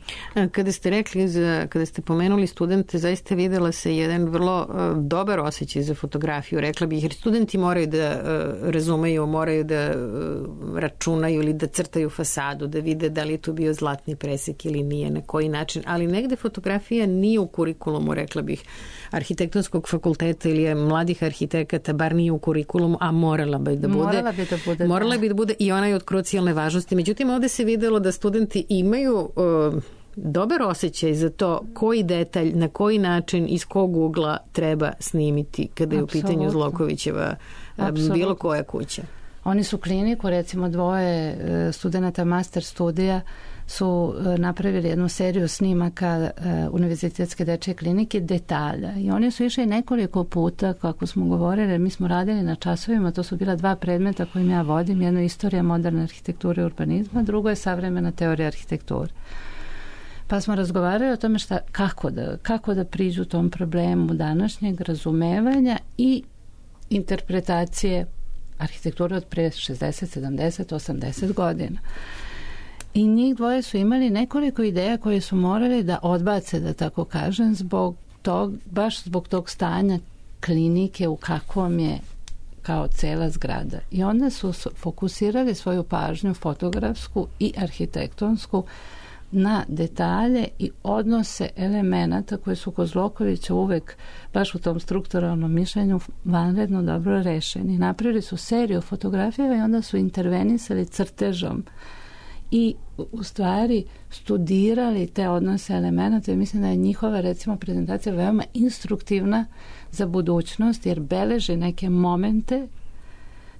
Kada ste rekli, za, kada ste pomenuli studente, zaista videla se jedan vrlo uh, dobar osjećaj za fotografiju, rekla bih, jer studenti moraju da uh, razumeju, moraju da uh, računaju ili da crtaju fasadu, da vide da li je tu bio zlatni presek ili nije, na koji način, ali negde fotografija nije u kurikulumu, rekla bih, arhitektonskog fakulteta ili mladih arhitekata, bar nije u kurikulumu, a morala bi da bude. Morala bi da bude. Morala bi da bude i ona je od krucijalne važnosti. Međutim, ovde se videlo da studenti imaju uh, dobar osjećaj za to koji detalj, na koji način, iz kog ugla treba snimiti kada je Absolutno. u pitanju Zlokovićeva Absolutno. bilo koja kuća. Oni su kliniku, recimo dvoje studenta master studija su napravili jednu seriju snimaka Univerzitetske dečje klinike detalja, i oni su išli nekoliko puta, kako smo govorili, mi smo radili na časovima, to su bila dva predmeta kojim ja vodim, jedno je istorija moderne arhitekture i urbanizma, drugo je savremena teorija arhitekture. Pa smo razgovarali o tome šta, kako, da, kako da priđu tom problemu današnjeg razumevanja i interpretacije arhitekture od pre šezdeset, sedamdeset, osamdeset godina. I njih dvoje su imali nekoliko ideja koje su morali da odbace, da tako kažem, zbog tog, baš zbog tog stanja klinike u kakvom je kao cela zgrada. I onda su fokusirali svoju pažnju fotografsku i arhitektonsku na detalje i odnose elemenata koje su kod Zlokovića uvek baš u tom strukturalnom mišljenju vanredno dobro rešeni. Napravili su seriju fotografija i onda su intervenisali crtežom i u stvari studirali te odnose elemenata, i mislim da je njihova recimo prezentacija veoma instruktivna za budućnost, jer beleži neke momente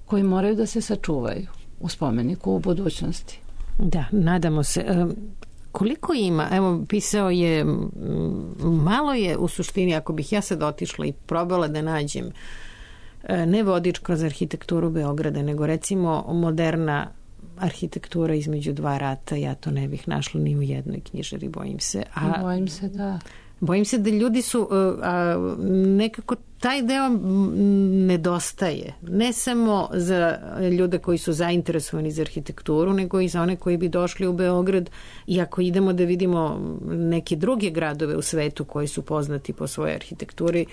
koji moraju da se sačuvaju u spomeniku u budućnosti. Da, nadamo se. Koliko ima, evo, pisao je, malo je u suštini, ako bih ja sad otišla i probala da nađem ne vodič kroz arhitekturu Beograda, nego recimo moderna arhitektura između dva rata, ja to ne bih našla ni u jednoj knjižari, bojim se. A, bojim se, da. Bojim se da ljudi su a, nekako taj deo nedostaje. Ne samo za ljude koji su zainteresovani za arhitekturu, nego i za one koji bi došli u Beograd, i ako idemo da vidimo neke druge gradove u svetu koji su poznati po svojoj arhitekturi,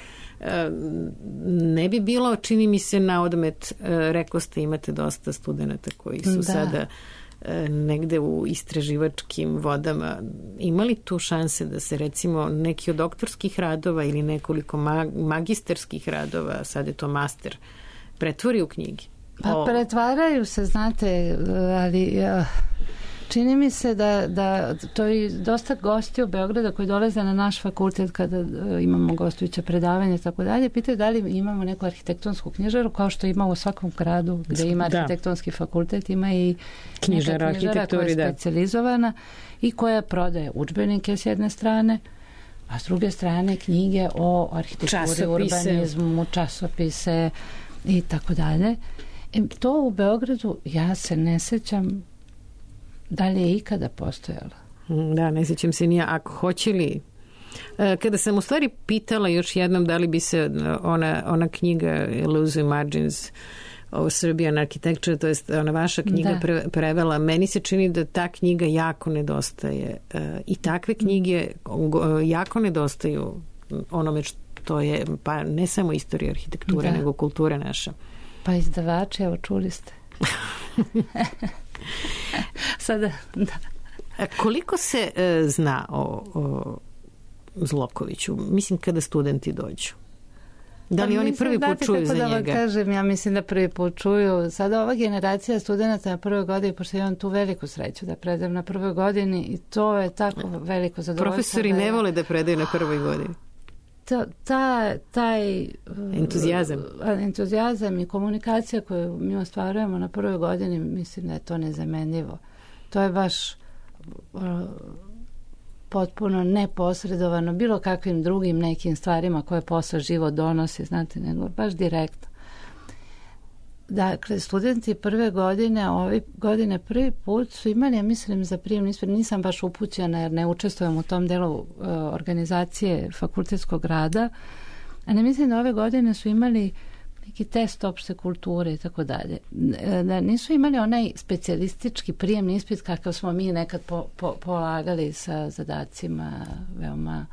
ne bi bilo, čini mi se, na odmet, rekao ste, imate dosta studenta koji su da. sada negde u istraživačkim vodama. Imali tu šanse da se recimo neki od doktorskih radova ili nekoliko magistarskih radova, sad je to master, pretvori u knjige? Pa pretvaraju se, znate, ali čini mi se da, da to je dosta gosti u Beograda koji dolaze na naš fakultet kada imamo gostujuća predavanja i tako dalje, pitaju da li imamo neku arhitektonsku knjižaru, kao što ima u svakom gradu gde ima arhitektonski da. fakultet, ima i knjižara, knjižara koja je specijalizovana i koja prodaje udžbenike s jedne strane, a s druge strane knjige o arhitekturi, časopise. urbanizmu, časopise i tako dalje. To u Beogradu ja se ne sećam da li je ikada postojala. Da, ne sjećam se nije. Ako hoće li Kada sam u stvari pitala još jednom da li bi se ona, ona knjiga Illusory Margins o Serbian Architecture, to jest ona vaša knjiga pre, prevela, meni se čini da ta knjiga jako nedostaje i takve knjige jako nedostaju onome što je, pa ne samo istorija arhitekture, da. nego kultura naša. Pa izdavači, evo čuli ste. Sada, da. Koliko se e, zna o, o Zlokoviću? Mislim kada studenti dođu. Da li pa oni prvi put čuju za da njega? Kažem, ja mislim da prvi put čuju. Sada ova generacija studenta na prvoj godini, pošto imam tu veliku sreću da predajem na prvoj godini i to je tako veliko zadovoljstvo. Profesori ne vole da predaju na prvoj godini. Ta, ta, taj entuzijazam. entuzijazam i komunikacija koju mi ostvarujemo na prvoj godini, mislim da je to nezamenljivo. To je baš uh, potpuno neposredovano bilo kakvim drugim nekim stvarima koje posle život donosi, znate, nego baš direktno. Dakle, studenti prve godine, ove godine prvi put su imali, ja mislim, za prijemni ispit, nisam baš upućena jer ne učestvujem u tom delu uh, organizacije fakultetskog rada, a ne mislim da ove godine su imali neki test opšte kulture i tako dalje. Da nisu imali onaj specijalistički prijemni ispit kakav smo mi nekad po, po, polagali sa zadacima veoma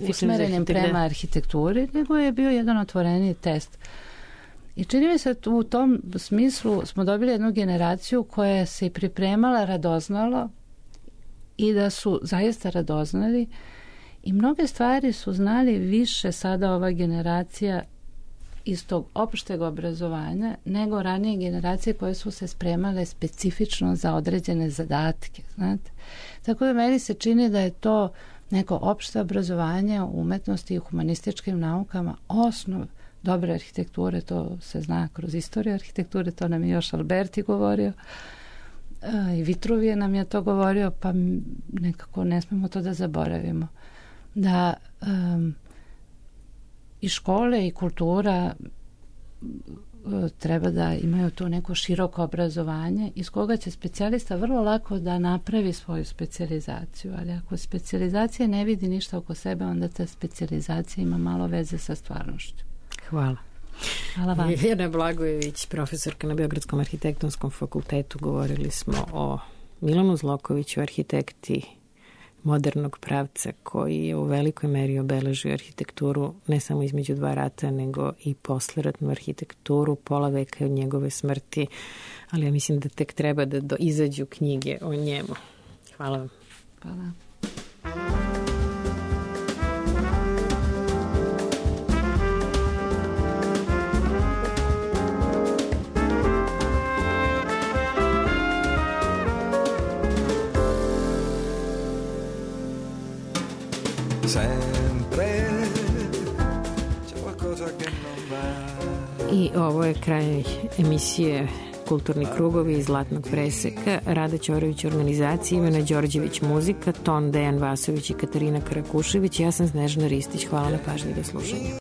usmerenim prema arhitekturi, nego je bio jedan otvoreni test. I čini mi se u tom smislu smo dobili jednu generaciju koja se i pripremala radoznalo i da su zaista radoznali i mnoge stvari su znali više sada ova generacija iz tog opšteg obrazovanja nego ranije generacije koje su se spremale specifično za određene zadatke, znate. Tako da meni se čini da je to neko opšte obrazovanje u umetnosti i humanističkim naukama osnov dobre arhitekture, to se zna kroz istoriju arhitekture, to nam je još Alberti govorio i Vitruvije nam je to govorio, pa nekako ne smemo to da zaboravimo. Da um, i škole i kultura treba da imaju to neko široko obrazovanje iz koga će specijalista vrlo lako da napravi svoju specijalizaciju, ali ako specijalizacija ne vidi ništa oko sebe, onda ta specijalizacija ima malo veze sa stvarnošću. Hvala. Hvala vam. Jelena Blagojević, profesorka na Beogradskom arhitektonskom fakultetu. Govorili smo o Milanu Zlokoviću, arhitekti modernog pravca koji je u velikoj meri obeležio arhitekturu ne samo između dva rata, nego i posleratnu arhitekturu, pola veka od njegove smrti, ali ja mislim da tek treba da do, izađu knjige o njemu. Hvala vam. Hvala. I ovo je kraj emisije Kulturni krugovi iz Zlatnog preseka. Rada Ćorović organizacija, Ivana Đorđević muzika, ton Dejan Vasović i Katarina Karakušević. Ja sam Snežana Ristić. Hvala na pažnji i do slušanja.